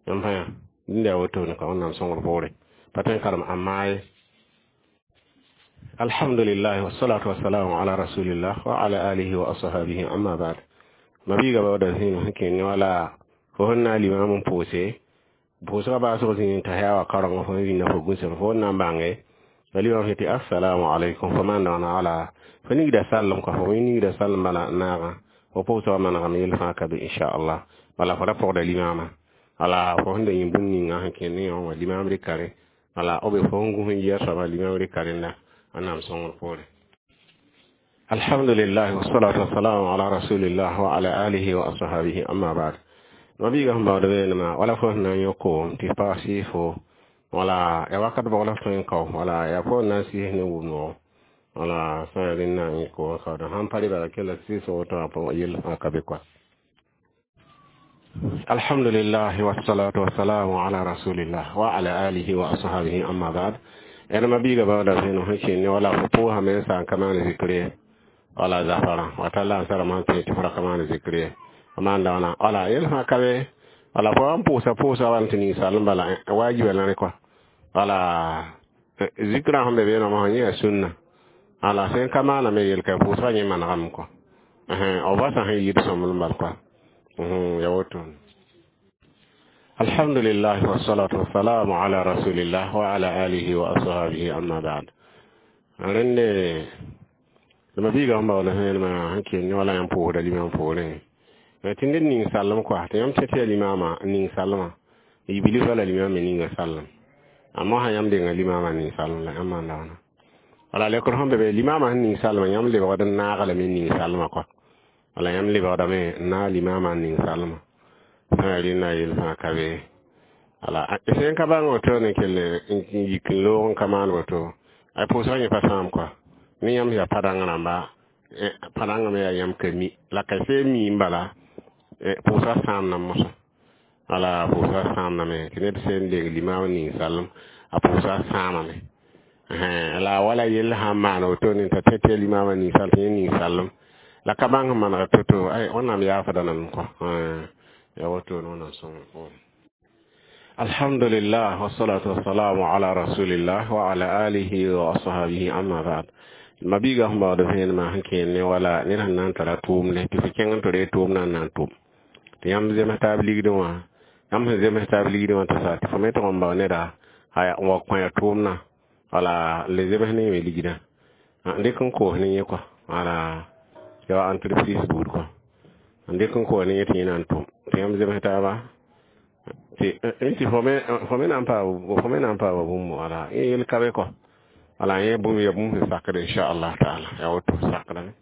yãmb fãa dĩnda yaa wotone kɔa wẽnnaam sõngr poore pa tõe n karem amma ye alhamdulillahi wassalatu wassalamu ala rasulillah wa ala alihi wa ashabihi amma ba'd mabiiga baooda zĩig sẽn kẽ ne wala fo sẽn na n limam n pʋʋse pʋʋsgã baasg zĩig t'a yaa wa kaorengã fo sẽn zĩnda fo gũsem fo n na n bãnge limam sẽn tɩ assalamu alaikum fo maan wãna wala fo nigda sallem ka fo nigda sallem bala naagã fo pʋʋsgã manegame yel fãa ka be inchallah wala fo ra pʋgda limama wala fo sẽn da yẽ bũmb ninga sẽn kẽ ne wã limam rɩka rẽ wala b fo sẽn gũs n yɩa soaba limam rɩka rẽnda wẽnnaam sõngr poore alhamdulillah wassalatu wassalamu ala rasulillah wa ala alihi wa ashabihi amma ba'd mabiiga sẽn baood weenema wala fo sẽn na n yõ koom tɩ paas sɩɩsfo wala ya wakat bogla tõe n kao wala ya fo n na n sɩɩs ne wʋm-noogo wala sã ya rẽnd na n yẽ koomã kaooda sãn pa rɩ bala kella sɩɩs woto wã pʋgẽ yell fãa ka be koa alhamdulillah wassalatu wassalamu ala rasulillah wa ala alihi wa ashabihi amma ba'd ẽdma biiga baooda zẽnem sẽn kẽn ne wala fo pʋʋsame n sa n ka maan zikr ye wala zafarã wata la n sarama sẽn tõe tɩ fo ra ka maan zikr ye maan da wãna wala yel fãa ka be wala fo n pʋʋsa pʋʋsa wala tɩ ninsaalem bala wajiba la rẽ kɔa wala zikrã sẽn be beelmã yẽ yaa sũnna wala sẽn ka maaname yel ka pʋʋsgã yẽ manegame kɔa b basã sẽn yɩɩd sõmblem bal kɔa ya woto alhamdulillah wassalatu wassalamu ala rasulillah wa ala alihi wa ashabihi amma ba'd rẽnde ma biiga sẽn baool sẽnema sẽn kell ne wala yãmb pʋʋsda limam poorẽ tɩ ned ning sallem kɔa tɩ yãmb tẽ tɩ yaa limama ning sallmã yibilf wala limam me ninga sallem amma sã yãmb denga limama ning sallem la yãmb maanda wãna wala lekr sẽn be be limama sẽn ning sallmã yãmb lebgd n naag lame ning sallmã kɔa wala yãmb lebgdame n naag limama n ning sallmã sã yaa rẽnda yel fãa ka be wala sẽn ka bãng woto ne kell n yik n loog n ka maan woto a pʋʋsgã yẽ pa sãam kɔa ne yãmb yaa pa-dãng rãmba pa-dãngã me yaa yãmb ka mi la ka see mi n bala pʋʋsgã sãamna mosã wala pʋʋsgã sãamdame tɩ ned sẽn deng limaam ning sallem a pʋʋsgã sãamame la wala yell sãn maan woto ne t'a tẽ tɩ yaa limaamã ning sall tɩ yẽ ning sallem la ka bãng sẽn manega to-to ay wẽnnaam yaafda nan kɔ ya woto ne wẽnnaam sõngr poorẽ alhamdulillah wassalatu wassalamu ala rasulillah wa ala alihi wa ashabihi amma ba'd mabiiga sẽn baood vẽenemã sẽn kẽer ne wala ned sẽn na n tara tʋʋmde tɩ fo kẽng n tɩ ree tʋʋm na n na n tʋm tɩ yãmb zems taab ligdẽ wã yãmb sẽn zems taab ligdẽ wã tɩ sa tɩ fo me tʋg n bao neda n wa kõ ya tʋʋmdã wala le zems ne yẽ me ligdã n dɩk n koos ne yẽ kɔa wala ya entreprise buud kɔa n dɩk n koos ne yẽ tɩ yẽ na n tʋm tɩ yãmb zems taaba tɩ tɩ fo me na n paa fo me na n paama bũmb wala yẽ yel ka be kɔa wala yẽ bũmb ya bũmb sẽn sakd inchallah taala ya woto sakdame